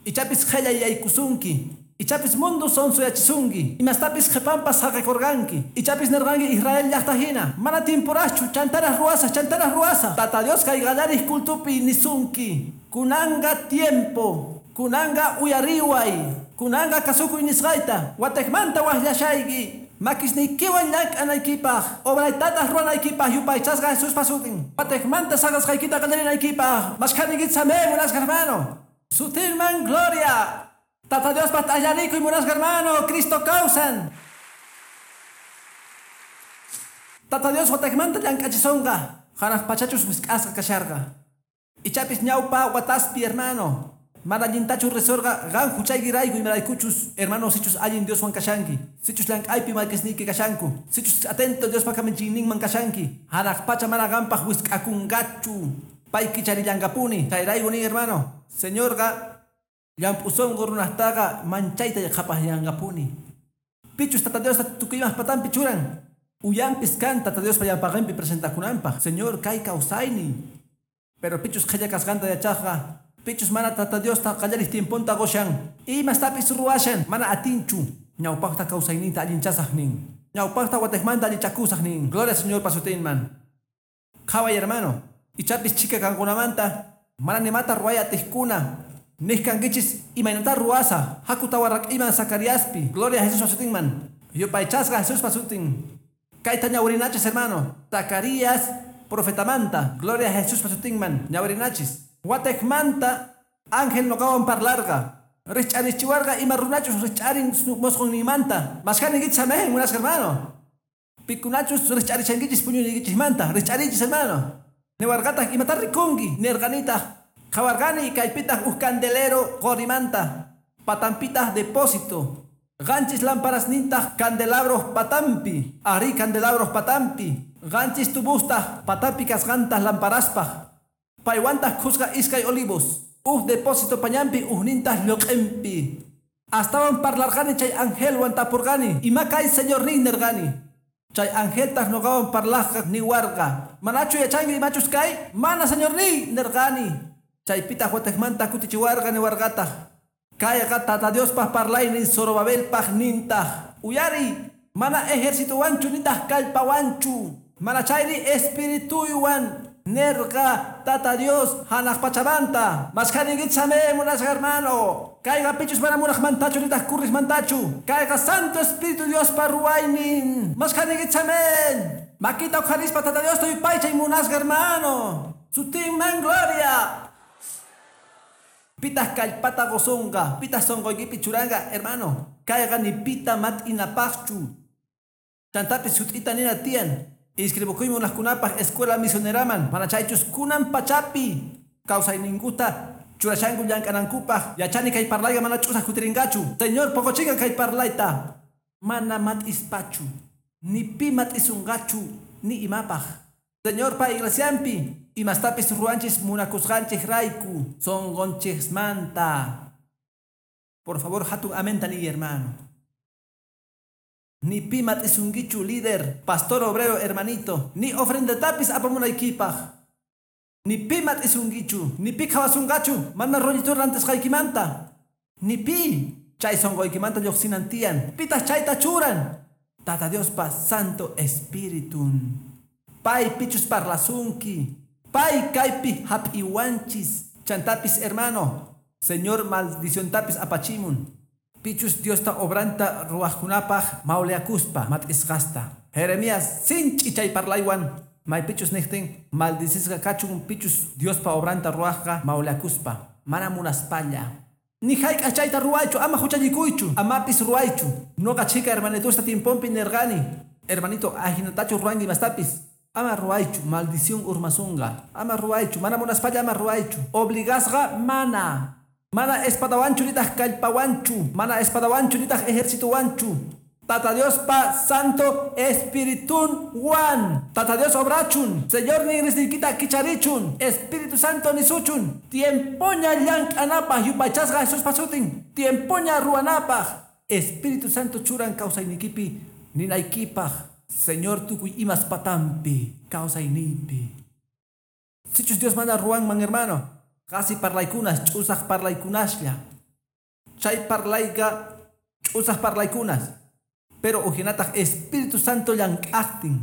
Ichapis qhallay yaykusunki. Ichapis mundo sonsoyachisunki. Imastapis qhipanpas saqekurqanki. Ichapis nirqanki Israel llaqta hina. Mana timpuraqchu, chantaraq ruwasaq, chantaraq ruwasaq. Tata Dios kay qallarij cultupi nisunki. Kunanqa tiempo. Kunanqa uyariway. Kunanqa kasukuy nisqayta. Watejmanta wajllashayki. Makisniykiwan llank'anaykipaq, obraytataq ruwanaykipaq yupaychasqa Jesuspa sutin. Watejmanta saqasqaykita qallarinaykipaq. Mashkhaninkichis amén, munasqa hermano. Sutinman gloria. Tata Dios allarikuy munasqa hermano, Cristo kawsan. Tata Dios watakmanta llank'achisonqa, hanaq pachachus wisk'asqa kasharqa. Ichapis ñawpa wataspi hermano. Mana allintachu risorqa qan huchaykirayku imaraykuchus hermano sichus allin Dioswan kashanki. Sichus llank'aypi makisniyki kashanku. Sichus atento Diospa kamachiyninman kashanki. Hanaq pacha mana qanpaq wisk'akunqachu. Pay kicharillanqapuni. Chayrayku nin hermano. Señorqa llamp'u sunqu runaqtaqa manchayta qhapaqyanqapuni. Pichus Tata Diosta tukuymaq patampi churan. Uyampis kan Tata Diospa llampaqinpi presentakunanpaq. Señor kay kawsaynin. Pero pichus qhilla kasqanta yachaqqa. Pichus mana Tata Diosta qallarij tiemponta qushan. Imastapis ruwashan mana atinchu. Ñawpaqta kawsayninta allinchasaq nin. Ñawpaqta wateqmanta allichakusaq nin. Gloria Señor pasutinman. Qhaway hermano. Ichapis chika kankunamanta mana nimata ruway atiqkuna. Nijkankichis imaynata ruwasa. Haku tawarrak'iman Zacariaspi. Gloria a Jesús pasutinman. Yupaychasqa Jesús pasutin. Kayta ñawrinachis hermano. Zacarías profetamanta. Gloria a Jesús pasutinman. Ñawrinachis. Wateqmanta ángel noqawan parlarqa. Rich'arichiwarqa ima runachus rich'arin mosqonninmanta. Mashkaninkichis amén, munasqa hermano. Pikunachus rich'arichankichis puñuyniykichikmanta. Rich'arichis hermano. Niwarqataq imata rikunki. Nirqanitaq qhawarqani kaypitaq uj candelero qorimanta. Patampitaq depósito. Qanchis lamparasnintaq candelabros patampi. Ari candelabros patampi. Qanchis tubustaq patampi kasqantaq lamparaspaq. Paywantaq khusqa iskay olivos. Uj depósito pañampi ujnintaq lluq'inpi. Astawan parlarqani chay angelwan tapurqani. Ima kay señornin nirqani. Chay angeltaq nuqawan parlaqqa niwarqa. Manachu yachanki imachus kay? Mana señorniy nirqani. Chaypitaq wateqmanta kutichiwarqa niwarqataq. Kayqa Tata Diospaq parlaynin Zorobabelpaq nintaq. Uyari, mana ejercitowanchu nintaq kallpawanchu. Mana chayri espirituywan. Nerqa Tata Dios hanaq pachamanta. Mashkaninkichis amén munasqa hermano. Kayqa pichus mana munaqmantachu nitaq kurriqmantachu. Kayqa Santo Espíritu Diospa ruwaynin. Mashkaninkichis amén. Makita uqharispa Tata Diosta yupaychay munasqa hermano. Sutinman gloria. Pitaq kallpata qusunqa. Pitaq sunquykipi churanqa hermano. Kayqa ni pita mat'inapaqchu. Chantapis sut'ita nina tiyan. Inscribukuymi munaqkunapaq escuela misioneraman. Mana chaychus kunan pachapi. Kawsayninkuta churashanku llank'anankupaq. Yachani kay parlayqa mana ch'usaq kutirinqachu. Señor poqochinqa kay parlayta. Mana mat'ispachu. Ni pi mat'isunqachu. Ni imapaq. Señorpa iglesianpi. Imastapis ruwanchis munakusqanchik rayku. Sunqunchismanta. Por favor, hatun amén tani hermano. Ni pi mat'isunkichu líder, pastor obrero hermanito, ni ofrendatapis apamunaykipaq. Ni pi mat'isunkichu, ni pi qhawasunqachu, mana rollito rantisqaykimanta. Ni pi chay sunquykimanta lluqsinan tiyan. Pitaq chayta churan. Tata Diospa Santo Espiritun. Pay pichus parlasunki. Pay kaypi hap'iwanchis. Chantapis hermano. Señor maldiciontapis apachimun. Pichus Diosta obranta ruwaqkunapaq mawliakuspa mat'isqasta. Jeremías sinch'i chay parlaywan maypichus niqtin maldicisqa kachun pichus Diospa obranta ruwaqqa mawliakuspa mana munaspalla. Ni hayk'aq chayta ruwaychu ama huchallikuychu amapis ruwaychu. Nuqa chhika hermanitusta tiemponpi nirqani. Hermanito ajinatachu ruwanki imastapis. Ama ruwaychu maldición urmasunqa. Ama ruwaychu mana munaspalla ama ruwaychu. Obligasqa mana. Mana espadawanchu nitaq kallpawanchu. Mana espadawanchu nitaq ejercitowanchu. Tata Diospa Santo Espiritun wan. Tata Dios obrachun. Señor ninrisniykita kicharichun. Espíritu Santo nisuchun. Tiempoña llank'anapaq yupaychasqa Jesús pasutin. Tiempoña ruwanapaq. Espíritu Santo churan kawsaynikipi ninaykipaq. Señor tukuy imas patampi kawsayniypi. Sichus Dios mana ruwanman hermano. Qasi parlaykunas ch'usaq parlaykunaslla. Chay parlayqa ch'usaq parlaykunas. Pero ujinataq Espíritu Santo llank'aqtin.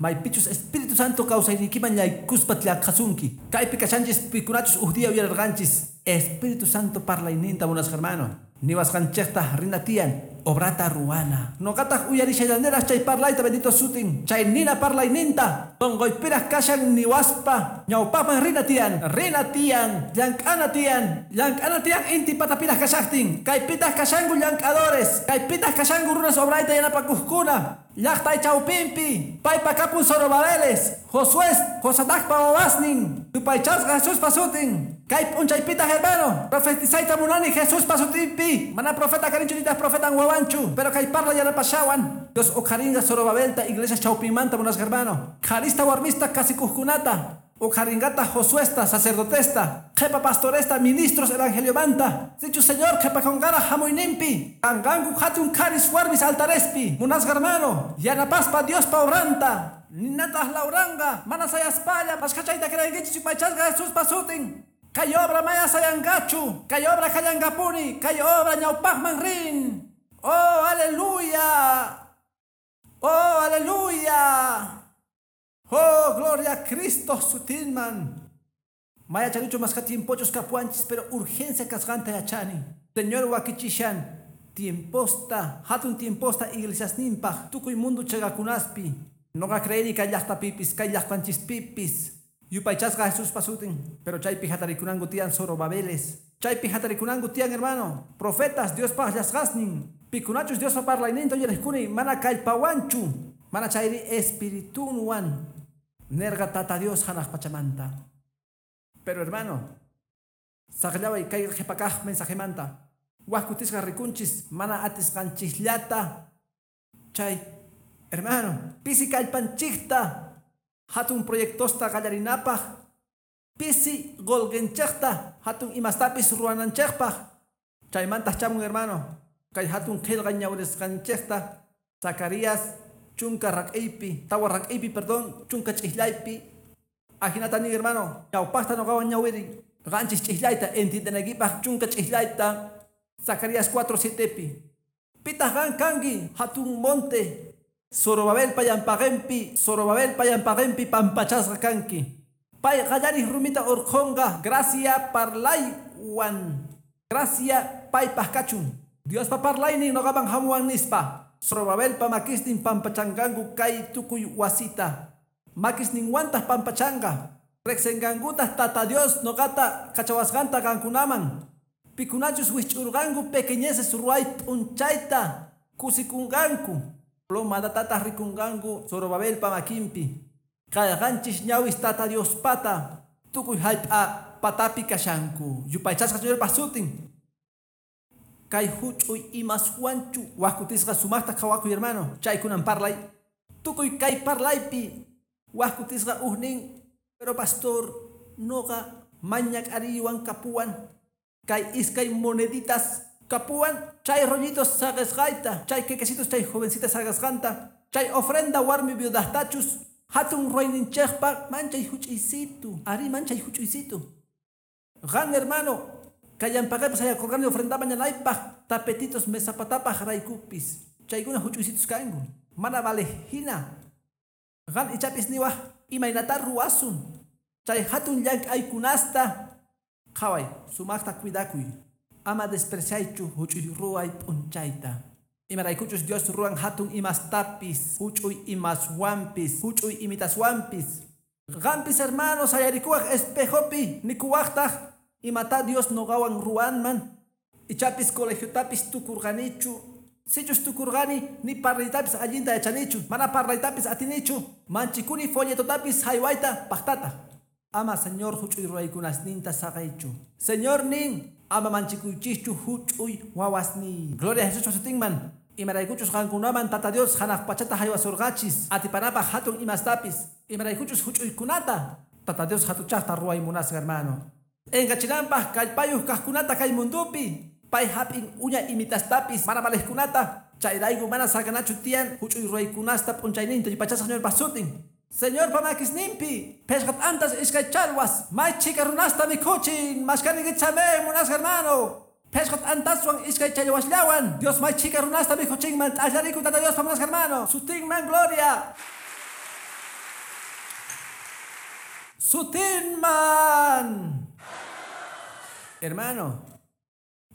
Maypichus Espíritu Santo kawsaynikiman yaykuspa llaqhasunki. Kaypi kashanchis pikunachus uj día uyararqanchis. Espíritu Santo parlayninta munasqa hermano. Niwasqanchikta rina tiyan. Obrata ruwana. Noqataq uyarishallaniraq chay parlayta bendito sutin. Chay nina parlayninta. Tonqoypiraq kashan niwaspa. Ñawpaqman rina tiyan. Rina tiyan. Llank'ana tiyan. Llank'ana tiyan inti patapiraq kashaqtin. Kaypitaq kashanku llank'adores. Kaypitaq kashanku runas obrayta yanapakuqkuna. Llaqtay chawpinpi. Paypa kapun Zorobabeles. Josué, Josadacpa wawasnin. Yupaychasqa Jesuspa sutin. Kay p'unchaypitaq hermano. Profetizayta munani Jesuspa sutinpi. Mana profeta kanichu nitaq profetan wawanchu. Pero kay parla yanapashawan. Dios uqharinqa Zorobabelta iglesia chawpinmanta munasqa hermano. Qharista warmista kasikuqkunata. Uqharingata Josuesta, sacerdotesta, qhepa pastoresta, ministros evangeliomanta. Sichu Señor qhepakonqara hamuyninpi. Kanqanku hatun qharis warmis altarespi. Munasqa hermano. Yanapaspa Diospa obranta. Ninataq lawranqa. Mana sayaspalla. Mashkhachayta creenkichis yupaychasqa Jesuspa sutin. Kay obra maya sayanqachu. Kay obra kallanqapuni. Kay obra ñawpaqman rin. Oh, aleluya. Oh, aleluya. Oh, gloria a Cristo sutinman. Maya chanichu masqa tiempochus kapuanchis, pero urgencia kasqanta yachani. Señor wakichishan, tiemposta, hatun tiemposta iglesiasninpaq, tukuy mundo chagakunaspi. Noqa creeni kay llaqtapipis, kay llaqtanchispipis. Yupaychasqa Jesuspa sutin, pero chaypi hatarikunanku tiyan Zorobabeles. Chaypi hatarikunanku tiyan hermano. Profetas Diospaq llasqasnin. Pikunachus Diospa parlayninta uyariqkuni mana kallpawanchu. Mana chayri espiritunwan. Nerga tata Dios hanaq pachamanta. Pero hermano, saqllaway kay qhipakaq mensajemanta. Waj kutisqa rikunchis mana atisqanchikllata. Chay, hermano, pisi kallpanchikta. Hatun proyectosta qallarinapaq. Pisi qolqenchikta hatun imastapis ruwananchikpaq. Chaymantaq chamun hermano. Kay hatun qillqa ñawrisqanchikta. Zacarías chunka rak'iypi, tawa rak'iypi, perdón, chunka ch'ijllaypi. Ajinata nin hermano, ñawpaqta noqawan ñawiri. Qanchis ch'ijllayta entiendenaykipaq chunka ch'ijllayta. Zacarías 4:7pi. Pitaq qan kanki hatun monte. Zorobabelpa llampaqinpi, Zorobabelpa llampaqinpi pampachasqa kanki. Pay qallariq rumita urqhunqa, gracia parlaywan. Gracia paypaq kachun. Diospa parlaynin noqaman hamuwan nispa. Zorobabelpa makisnin pampachanqanku kay tukuy wasita. Makisninwantaq pampachanqa. Riqsinqankutaq Tata Dios noqata kachawasqanta qankunaman. Pikunachus wisch'urqanku pequeñeces ruway p'unchayta kusikunqanku. Plomadatataq rikunqanku Zorobabelpa makinpi. Kay qanchis ñawis Tata Diospata tukuy hallp'a patapi kashanku. Yupaychasqa Señorpa sutin. Kay huch'uy imaswanchu waj kutisqa sumaqta qhawakuy hermano. Chaykunan parlay. Tukuy kay parlaypi waj kutisqa ujnin. Pero pastor noqa mañak'ariywan kapuwan. Kay iskay moneditas kapuwan. Chay rollitos saqesqayta. Chay quequecitos chay jovencitas saqesqanta. Chay ofrenda warmi viudahtachus. Hatun ruwayninchikpa manchay huch'uysitu. Ari manchay huch'uysitu. Qan hermano. Kallampaqaypas hayakurqani ofrenda mañanaypaq tapetitos mesapatapaq raykupis. Chaykuna huch'uysitus kanku. Mana vale hina. Qan ichapis niwaq imaynata ruwasun. Chay hatun llank'aykunasta. Qhaway, sumaqta cuidakuy. Ama despreciaychu huch'uy ruway p'unchayta. Imaraykuchus Dios ruwan hatun imastapis, huch'uy imaswanpis, huch'uy imitaswanpis. Qanpis hermano sayarikuwaq espejopi nikuwaqtaq imata Dios noqawan ruwanman. Ichapis colegiotapis tukurqanichu. Sichus tukurqani ni parlaytapis allinta yachanichu. Mana parlaytapis atinichu. Manchikuni folletotapis haywayta paqtata. Ama Señor huch'uy ruwaykunasninta saqaychu. Señor nin ama manchikuychischu huch'uy wawasniy. Gloria a Jesús sutinman. Imaraykuchus qankunaman Tata Dios hanaq pachata haywasurqachis. Atipanapaq hatun imastapis. Imaraykuchus huch'uykunata. Tata Dios hatuchaqta ruway munasqa hermano. Engachinanpaq kallpayuq kaqkunata kay mundupi. Pay hap'in uña imitastapis mana valejkunata. Chayrayku mana saqanachu tiyan huch'uy ruwaykunasta p'unchayninta yupaychasqa Señorpa sutin. Señorpa makisninpi phishqa t'antas iskay challwas may chhika runasta mikhuchin mashkanikichamen munasqa hermano. Phishqa t'antaswan iskay challwasllawan Dios may chhika runasta mikhuchinman t'allariku Tata Diospa munasqa hermano. Sutinman gloria. Sutinman. Hermano,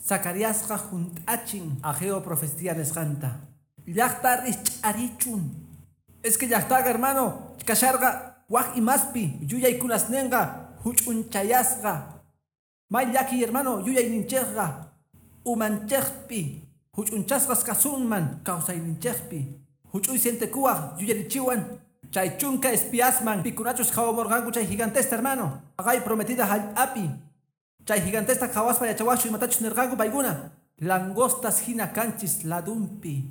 Zacariasqa junt'achin Ageo profecía nisqanta. Llaqta rich'arichun. Es que llaqtaqa hermano, kasharqa waj imaspi yuyaykunasninqa huch'unchayasqa. May llaki hermano yuyayninchikqa umanchikpi huch'unchasqas kasunman kawsayninchikpi. Huch'uy sientekuwaq yuyarichiwan chay chunka espiasman pikunachus qhawamurqanku chay gigantesta hermano. Haqay prometida hallp'api. Chay gigantesta qhawaspa yachawaqchu imatachus nirqanku paykuna. Langostas hina kanchis ladunpi.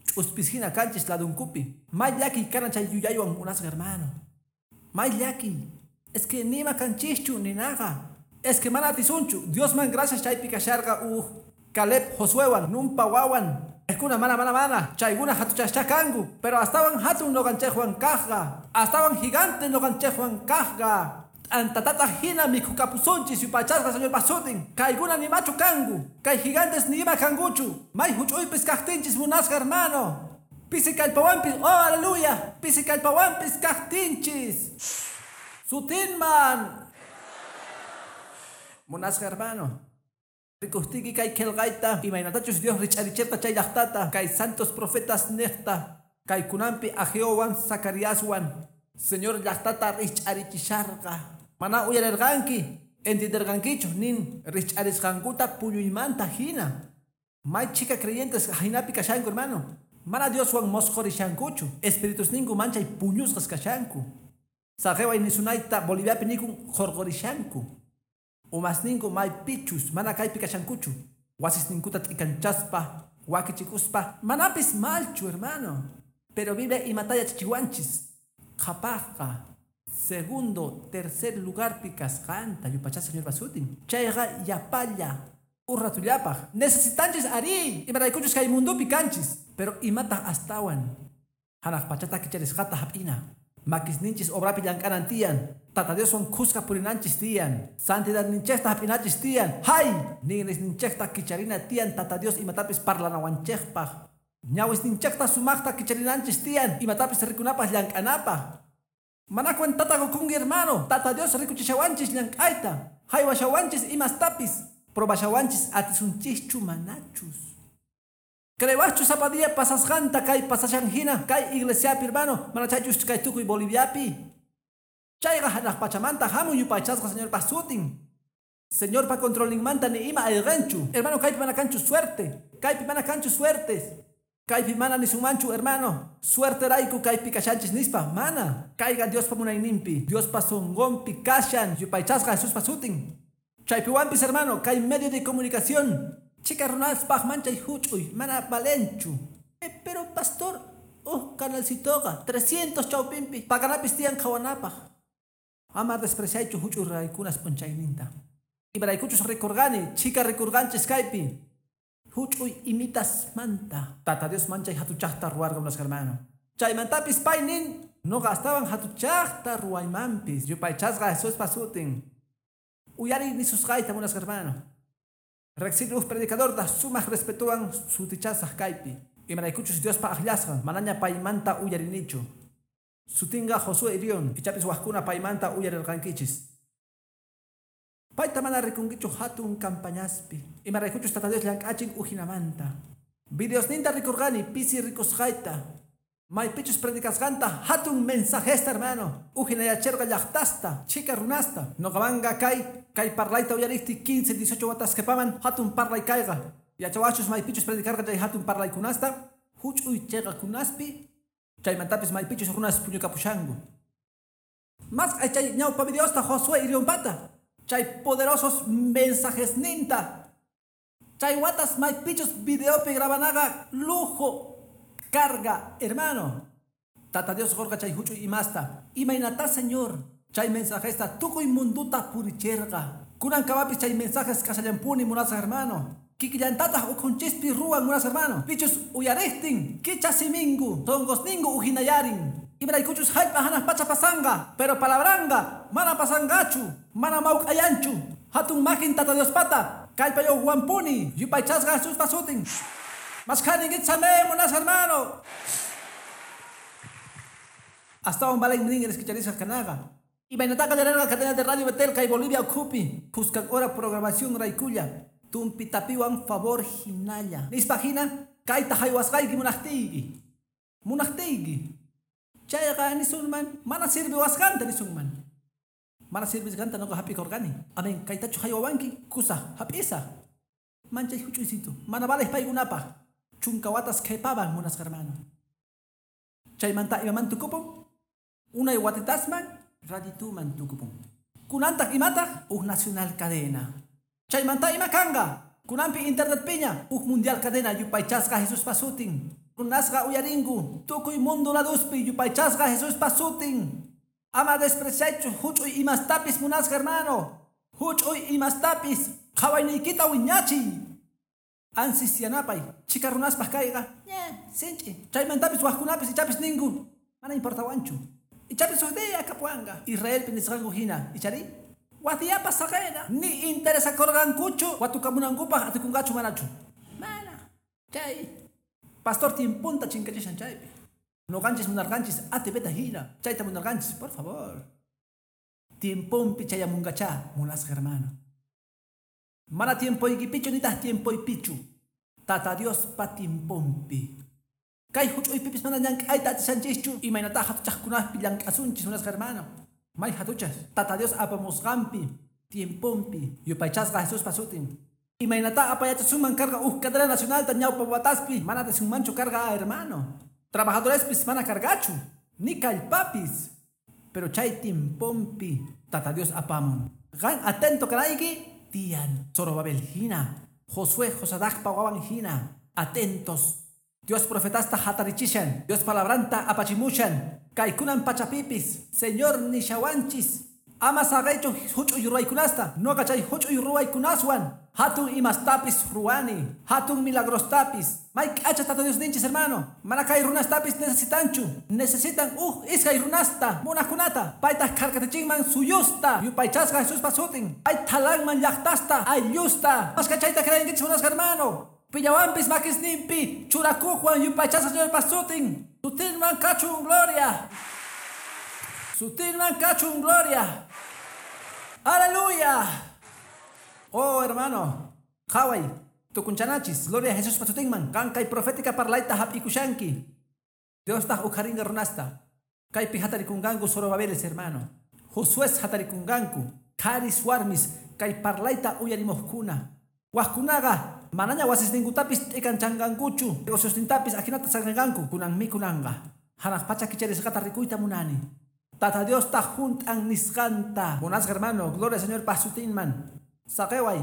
Ch'uspis hina kanchis ladunkupi. May llakiy kanan chay yuyaywan munasqa hermano. May llakiy. Es que nima kanchischu ninaqa. Es que mana atisunchu. Diosman gracias chaypi kasharqa uj Caleb Josuewan Nunpa wawan. Paykuna mana mana mana. Chaykuna hatuchascha kanku. Pero astawan hatun nuqanchikwan kaqqa. Astawan gigante nuqanchikwan kaqqa. T'antatata hina mikhukapusunchis yupaychasqa Señorpa sutin. Kaykuna nimachu kanku. Kay gigantes nima kankuchu. May huch'uypis kaqtinchis munasqa hermano. Pisi kallpawanpis, oh aleluya. Pisi kallpawanpis kaqtinchis. Sutinman. Munasqa hermano. Rikustiki kay qillqayta imaynatachus Dios rich'arichirqa chay llaqtata kay santos profetas niqta kaykunanpi Ageowan Zacariaswan Señor llaqtata rich'arichisharqa. Mana uyarirqanki entienderqankichu nin rich'arisqankuta puñuymanta hina. May chika creyentes hinapi kashanku hermano. Mana Dioswan mosqhurishankuchu. Espiritusninku manchay puñusqas kashanku. Saqeway nisunayta Boliviapi nikun qhurqurishanku. Umasninku maypichus mana kaypi kashankuchu. Wasisninkuta t'ikanchaspa, wakichikuspa, manapis malchu hermano. Pero Biblia imata yachachiwanchis. Qhapaqqa segundo, tercer lugarpi kasqanta yupaychasqa Señorpa sutin. Chayqa yapalla urratullapaq. Necesitanchis ari imaraykuchus kay mundupi kanchis. Pero imataq astawan hanaq pachata kicharisqata hap'ina. Makisninchis obrapi llank'anan tiyan. Tata Dioswan khuska purinanchis tiyan. Santidadninchikta hap'inachis tiyan. Hay! Ninrisninchikta kicharina tiyan Tata Dios imatapis parlanawanchikpaq. Ñawisninchikta sumaqta kicharinanchis tiyan imatapis rikunapaq llank'anapaq. Mana cuentata qukunki hermano. Tata Dios rikuchishawanchis llank'ayta. Haywashawanchis imastapis. Probashawanchis atisunchischu manachus. Creewaqchu sapa día pasasqanta kay pasashan hina kay iglesiapi hermano mana chaychus kay tukuy Boliviapi. Chayqa hanaq pachamanta hamun yupaychasqa Señorpa sutin. Señorpa controlninmanta ni ima ayqanchu. Hermano kaypi mana kanchu suerte. Kaypi mana kanchu suertes. Kaypi mana nisunmanchu hermano. Suerterayku kaypi kashanchis nispa mana. Kayqa Diospa munayninpi. Diospa sunqunpi kashan yupaychasqa Jesuspa sutin. Chaypiwanpis hermano kay medio de comunicación. Chika runaspaq manchay huch'uy mana valenchu. Pero pastor, canalcitoqa 300 chawpinpi paganapis tiyan qhawanapaq. Ama despreciaychu huch'uy raykunas p'unchayninta. Imaraykuchus rikurqani, chika rikurqanchis kaypi. Huch'uy imitas manta. Tata Dios manchay hatuchaqta ruwarqa munasqa hermano. Chaymantapis paynin nuqa astawan hatuchaqta ruwaymanpis. Yupaychasqa Jesuspa sutin. Uyariy nisusqayta munasqa hermano. Riqsini uj predicadorta sumaq respetuwan sutichasaq kaypi. Imaraykuchus Diospa aqllasqan manaña paymanta uyarinichu. Sutinqa Josué Irión, ichapis waqkuna paymanta uyarirqankichis. Payta mana rikunkichu hatun campañaspi. Imaraykuchus Tata Dios llank'achin ujinamanta. Videosninta rikurqani pisi rikusqayta. Maypichus predicasqanta hatun mensajesta hermano. Ujinayachirqa llaqtasta, chika runasta. Nuqamanqa kay parlayta uyariqti 15, 18 watas qhipaman hatun parlay kayqa. Yachawachus maypichus predicarqa chay hatun parlaykunasta, huch'uy chayqakunaspi, chaymantapis maypichus runas puñukapushanku. Mas chay ñawpa videosta Josué Irionpata. Chay poderosos mensajesninta. Chay watas maypichus videopi grabanaqa lujo. Carga, hermano. Tata Dios qurqa chay huch'uy imasta. Imaynata Señor. Chay mensajesta tukuy munduta puricherqa. Kunankamapis chay mensajes kashallampuni munasqa hermano. Kikillantataq ukhunchispi ruwan munasqa hermano. Pichus uyariqtin kicha siminku, sunqusninku ujinayarin. Imaraykuchus hallp'a hanaq pacha pasanqa, pero palabranqa mana pasanqachu, mana mawk'ayanchu. Hatun makin Tata Diospata, kallpayuqwanpuni, yupaychasqa Jesuspa sutin. Maskhani amén, munasqa hermano. Astawan valen nin kicharisqa kanaqa. Imaynataqa qallarerqa cadena de Radio Betel kay Bolivia ukhupi. Khuskan hora programación raykulla. Tumpitapiwan favor hinalla. Nispa hina kayta haywasqayki munaqtiyki. Munaqtiyki. Chayqa nisunman mana sirviwasqanta nisunman. Mana sirvisqanta noqa hap'ikurqani. Amén, kaytachu haywawanki kusa hap'isa. Manchay huch'uysitu. Mana vales paykunapaq. Chunka watas qhipaman munasqa hermano. Chaymanta imaman tukupun? Unay watitasman radituman tukupun. Kunantaq imataq huk nacional cadena. Chaymanta ima kanqa? Kunanpi internet piña huk mundial cadena yupaychasqa Jesuspa sutin. Runasqa uyarinku tukuy mundo laduspi yupaychasqa Jesuspa sutin. Ama despreciaychu huch'uy imastapis munasqa hermano. Huch'uy imastapis qhawayniykita wiñachiy. Ansis yanapay chika runaspaq kayqa sinch'i. Chaymantapis waqkunapis ichapis ninku mana importawanchu. Ichapis huk día kapuwanqa Israelpi nisqanku hina ichari watiyapas saqena ni interesakurqankuchu watukamunankupaq atikunqachu manachu. Mana chay pastor tiemponta chinkachishan chaypi. Noqanchis munarqanchis ATVta hina chayta munarqanchis, por favor. Tiemponpi chayamunqachá munasqa hermano. Mana tiempoykipichu nitaq tiempoypichu. Tata Diospa tiemponpi. Kay huch'uypipis mana llank'ayta atishanchischu imaynata hatuchaqkunappi llank'asunchis munasqa hermano. May hatuchas Tata Dios apamusqanpi tiemponpi yupaychasqa Jesuspa sutin. Imaynata apayachasunman karqa huk cadena nacionalta ñawpa wataspi mana atisunmanchu karqa hermano. Trabajadorespis mana karqachu ni kallpapis. Pero chay tiemponpi Tata Dios apamun. Qan atento kanayki tiyan. Zorobabel hina, Josué Josadacpa wawan hina, atentos. Dios profetasta hatarichishan, Dios palabranta apachimushan, kaykunan pachapipis, Señor nishawanchis, ama saqaychu huch'uy ruwaykunasta, noqa chay huch'uy ruwaykunaswan, hatun imastapis ruwani, hatun milagrostapis, may k'acha Tata Dios ninchis hermano, mana kay runastapis necesitanchu, necesitan uj iskay runasta, munaqkunata, paytaq kharkatichinman suyusta, yupaychasqa Jesuspa sutin, pay thalanman llaqtasta, ayllusta, mashka chayta creenkichis munasqa hermano. Pillawanpis makisninpi churakuqwan yupaychasqa Señorpa sutin. Sutinman kachun gloria. Sutinman kachun gloria. Aleluya. Oh hermano, qhaway tukunchanachis gloria a Jesuspa sutinman. Qan kay profética parlayta hap'ikushanki. Diostaq ukharinqa runasta. Kaypi hatarikunqanku Zorobabeles hermano. Josués hatarikunqanku. Qharis warmis kay parlayta uyarimuqkuna. Waqkunaqa manaña wasisninkutapis t'ikanchanqankuchu, negociosnintapis ajinata saqinqanku, kunan mikunanqa. Hanaq pacha kicharisqata rikuyta munani. Tata Diosta junt'an nisqanta. Munasqa hermano, gloria Señor pa sutinman. Saqeway,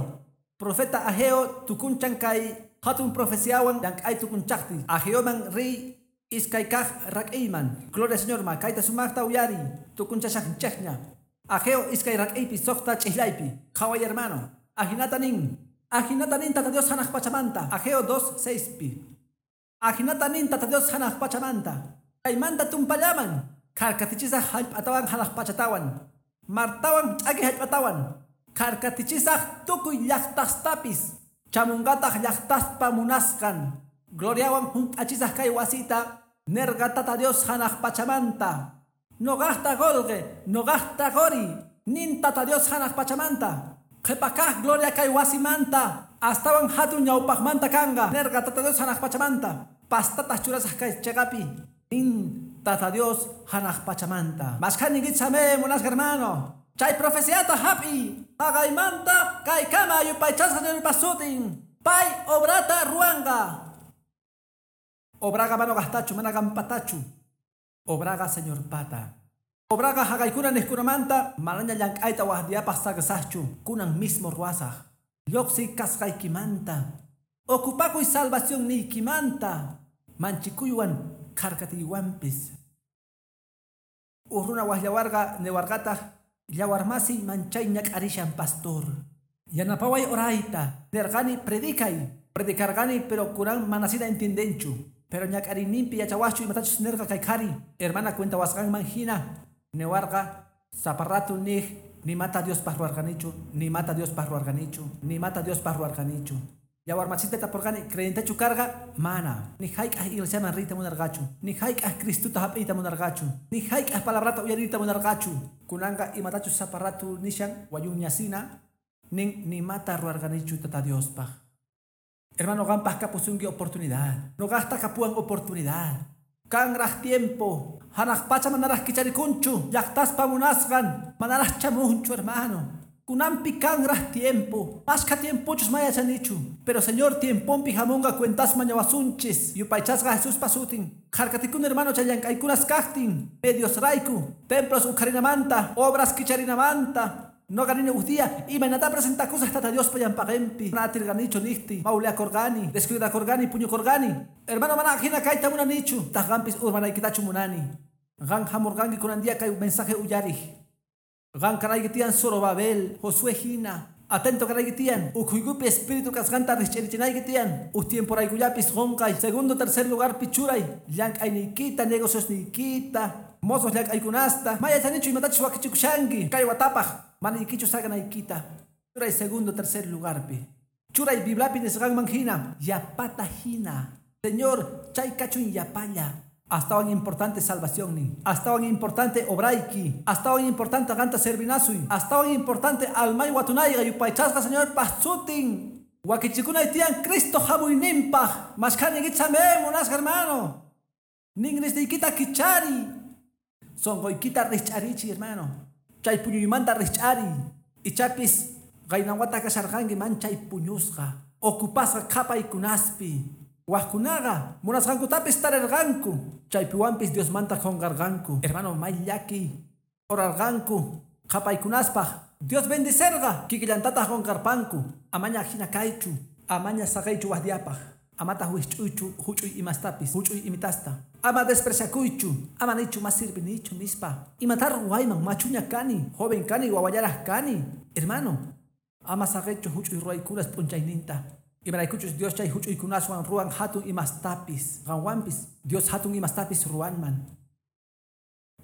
profeta Ageo tukunchan kay hatun profeciawan llank'ay tukunchaqti. Ageoman riy iskay kaq rak'iyman. Gloria Señor ma kayta sumaqta uyari tukunchashaqchaqña. Ageo iskay rak'iypi suqta ch'islaypi. Qhaway hermano, ajinata nin. Ajinata nin Tata Dios hanaq pachamanta. Ageo 2:6pi. Ajinata nin Tata Dios hanaq pachamanta. Kaymanta tumpallaman. Kharkatichisaq hallp'atawan hanaq pachatawan. Martawan ch'aki hallp'atawan. Kharkatichisaq tukuy llaqtastapis. Chamunqataq llaqtaspa munasqan. Gloriawan hunt'achisaq kay wasita. Nerqa Tata Dios hanaq pachamanta. Noqaqta qolqe, noqaqta qori. Nin Tata Dios hanaq pachamanta. Qhipakaq gloria kay wasimanta. Astawan hatun ñawpaqmanta kanqa. Nerqa Tata Dios hanaq pachamanta. Pastataq churasaq kay chayqapi. Nin Tata Dios hanaq pachamanta. Mashkhaninkichame munasqa hermano. Chay profeciata hap'i. Haqaymanta kaykama yupaychasqa Señorpa sutin. Pay obrata ruwanqa. Obraqa mana noqaqtachu, mana qanpatachu. Obraqa Señorpata. Obraqa haqaykuna niqkunamanta manaña llank'ayta waqdiyapaq saqisaqchu, kunan mismo ruwasaq. Lluqsiy kasqaykimanta. Ocupakuy salvación niykimanta. Manchikuywan kharkatiywanpis. Uj runa waqllawarqa niwarqataq llawarmasiy manchay ñak'arishan pastor. Yanapaway orayta. Nerqani predicay. Predicarqani pero kunan manasina entiendenchu. Pero ñak'ariyninpi yachawaqchu imatachus nirqa kay qhari. Hermana cuentawasqanman hina. Niwarqa saparratu niq nimata Diospaq ruwarqanichu, nimata Diospaq ruwarqanichu, nimata Diospaq ruwarqanichu. Yawarmasita tapurqani creyentechu karqa mana. Ni hayk'aq iglesiaman riyta munarqachu, ni hayk'aq Cristuta hap'iyta munarqachu, ni hayk'aq palabrata uyariyta munarqachu. Kunanqa imatachus saparratu nishan wayuñasina. Nin nimata ruwarqanichu Tata Diospaq. Hermano, qanpaq kapusunki oportunidad. Noqaqta kapuwan oportunidad. Kanraq tiempo. Hanaq pacha manaraq kicharikunchu. Llaqtaspa munasqan manaraq chamunchu, hermano. Kunanpi kanraq tiempo. Mashkha tiempochus mayachanichu. Pero Señor tiempompi hamunqa cuentas mañawasunchis. Yupaychasqa Jesuspa sutin. Kharkatikun hermano chay llank'aykunas kaqtin. Medios rayku. Templos uqharinamanta. Obras kicharinamanta. Noqa nini uj día imaynata presentakusaq Tata Diospa llampaqinpi. Mana atirqanichu niqti. Mawliakurqani. Descuidakurqani, puñukurqani. Hermano, mana hina kayta munanichu. Taq qampis urmanaykitachu munani. Qan hamurqanki kunan día kay mensaje uyariq. Qan kanayki tiyan Zorobabel, Josué hina. Atento kanayki tiyan. Ukhuykupi espíritu kasqanta riqch'irichinayki tiyan. Uj tiemporaykullapis qunqay. Segundo, tercer lugar pichuray. Llank'ayniykita, negociosniykita. Mozos llank'aykunasta. Mayachanichu imatachus wakichikushanki. Kay watapaq manaykichu saqanaykita. Churay segundo, tercer lugarpi. Churay Bibliapi nisqanman hina. Yapata hina. Señor, chay kachun yapalla. Astawan importante salvación nin. Astawan importante obrayki. Astawan importante qanta servinasuy. Astawan importante almay watunayqa yupaychasqa Señor pasutin. Wakichikunay tiyan Cristo hamuyninpaq. Mashkhani chame munasqa hermano. Ningrisniykita kichari. Sonqoykita rich'arichi hermano. Chay puñuymanta rich'ari. Ichapis qaynawata kasharqanki manchay puñusqa. Ocupasqa qhapaykunaspi. Wajkunaqa munasqankutapis tarirqanku. Chaypiwanpis Diosmanta qunqarqanku. Hermano, may llaki. Orarqanku. Qhapaykunaspaq. Dios bendicerqa. Kikillantataq qunqarpanku. Amaña hina kaychu. Amaña saqaychu wajdiapaq. Amataq wisch'uychu huch'uy imastapis. Huch'uy imitasta. Ama despreciakuychu. Ama nichu mas sirvinichu nispa. Imatar ruwayman machuña kani. Joven kani wawallaraq kani. Hermano, ama saqaychu huch'uy ruwaykunas p'unchayninta. Imaraykuchus Dios chay huch'uykunaswan ruwan hatun imastapis. Qanwanpis Dios hatun imastapis ruwanman.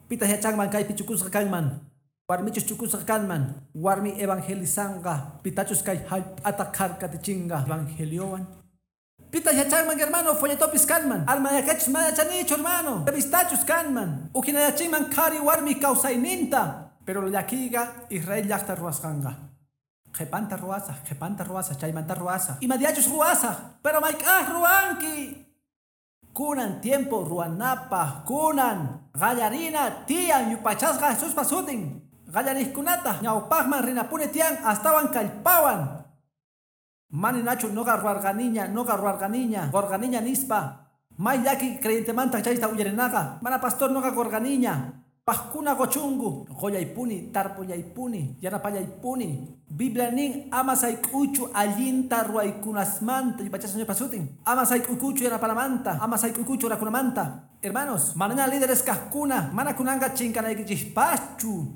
Pitaq yachanman kaypi chukusqa kanman. Warmichus chukusqa kanman. Warmi evangelizanqa. Pitachus kay hallp'ata kharkatichinqa evangeliowan. Pitaq yachanman hermano folletopis kanman. Almayakachus mayachanichu hermano. Revistachus kanman. Uhinayachinman qhari warmi kawsayninta. Pero llakiqa Israel llaqta ruwasqanqa. Qhipanta ruwasaq, qhipanta ruwasaq, chaymanta ruwasaq. Imadiachus ruwasaq, pero mayk'aq ruwanki. Kunan tiempo ruwanapaq, kunan qallarina tiyan yupaychasqa Jesuspa sutin. Qallariqkunata ñawpaqman rinapuni tiyan astawan kallpawan. Maninachu noqa ruwarqaniña, noqa ruwarqaniña, qurqaniña nispa. May llaki creyentemanta chayta uyarinaqa. Mana pastor noqa qurqaniña. Pajkuna gochungu, qollaypuni, tarpullaypuni, yanapallaypuni. Biblia nin ama sayk'uychu allinta ruwaykunasmanta, yupaychasqa Señorpa sutin. Ama sayk'uykuchu yanapanamanta, ama sayk'uykuchu orakunamanta. Hermanos, manaña líderes kaqkuna, mana kunanqa chinkanaykichispaschu.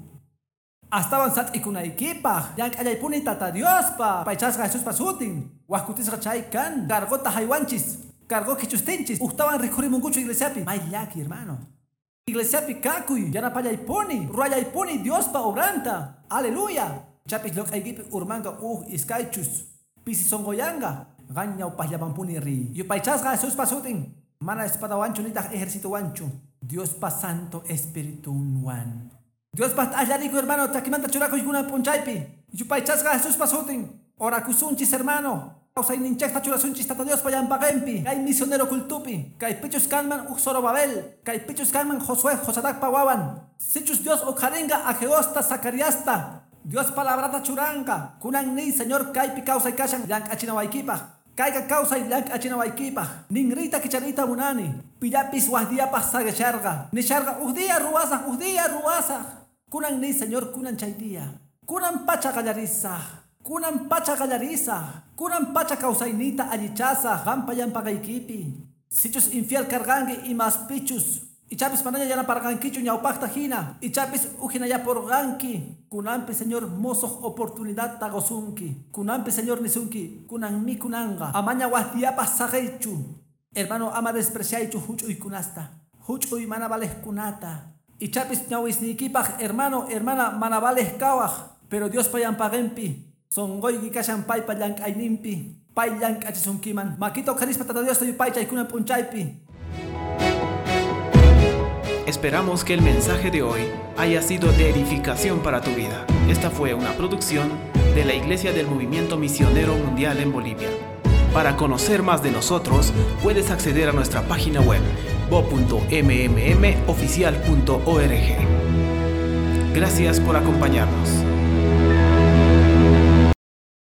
Astawan sat'ikunaykipaq, llank'allaypuni Tata Diospa, yupaychasqa Jesuspa sutin. Wajkutisqa chay kan, cargota haywanchis, cargo kichustinchis, ujtawan rikhurimunkuchu iglesiapi. May llaki, hermano. Iglesiapi kakuy, yanapallaypuni, ruwallaypuni Diospa obranta. Aleluya. Chapis lloq'aykipi urmanqa uj iskaychus. Pisi sonqoyanqa, qan ñawpaqllamanpuni riy. Yupaychasqa Jesuspa sutin. Mana espadawanchu nitaq ejercitowanchu. Diospa Santo Espiritunwan. Diospa t'allariku hermano, chakimanta churakuy kunan p'unchaypi. Yupaychasqa Jesuspa sutin. Orakusunchis hermano. Kawsayninchikta churasunchis Tata Diospa llampaqinpi. Kay misionero cultupi. Kay pichus kanman uj Zorobabel. Kay pichus kanman Josué Josadacpa wawan. Sichus Dios uqharinqa Ageosta Zacariasta. Dios palabrata churanqa. Kunan niy Señor kaypi kawsay kashan llank'achinawaykipaq. Kayqa kawsay llank'achinawaykipaq. Ninriyta kichariyta munani. Pillapis wajdiyapaq saqisharqa. Nisharqa uj día ruwasaq, uj día ruwasaq. Kunan niy Señor kunan chay día. Kunan pacha qallarisaq. Kunan pacha qallarisaq. Kunan pacha kawsayniyta allichasaq qampa llampaqaykipi. Sichus infiel karqanki imaspichus. Ichapis manaña yanaparqankichu ñawpaqta hina. Ichapis uhinayapurqanki. Kunanpi Señor mosoq oportunidadta qusunki. Kunanpi Señor nisunki. Kunanmi kunanqa. Amaña wajdiyapaq saqiychu. Hermano, ama despreciaychu huch'uykunasta. Huch'uy mana valejkunata. Ichapis ñawisniykipaq hermano, hermana mana valej kawaq. Pero Diospa llampaqinpi. Sonqoyki kashan paypa llank'ayninpi. Pay llank'achisunkiman. Makita uqharispa Tata Diosta yupaychay kunan p'unchaypi. Esperamos que el mensaje de hoy haya sido de edificación para tu vida. Esta fue una producción de la Iglesia del Movimiento Misionero Mundial en Bolivia. Para conocer más de nosotros, puedes acceder a nuestra página web bo.mmmoficial.org. Gracias por acompañarnos.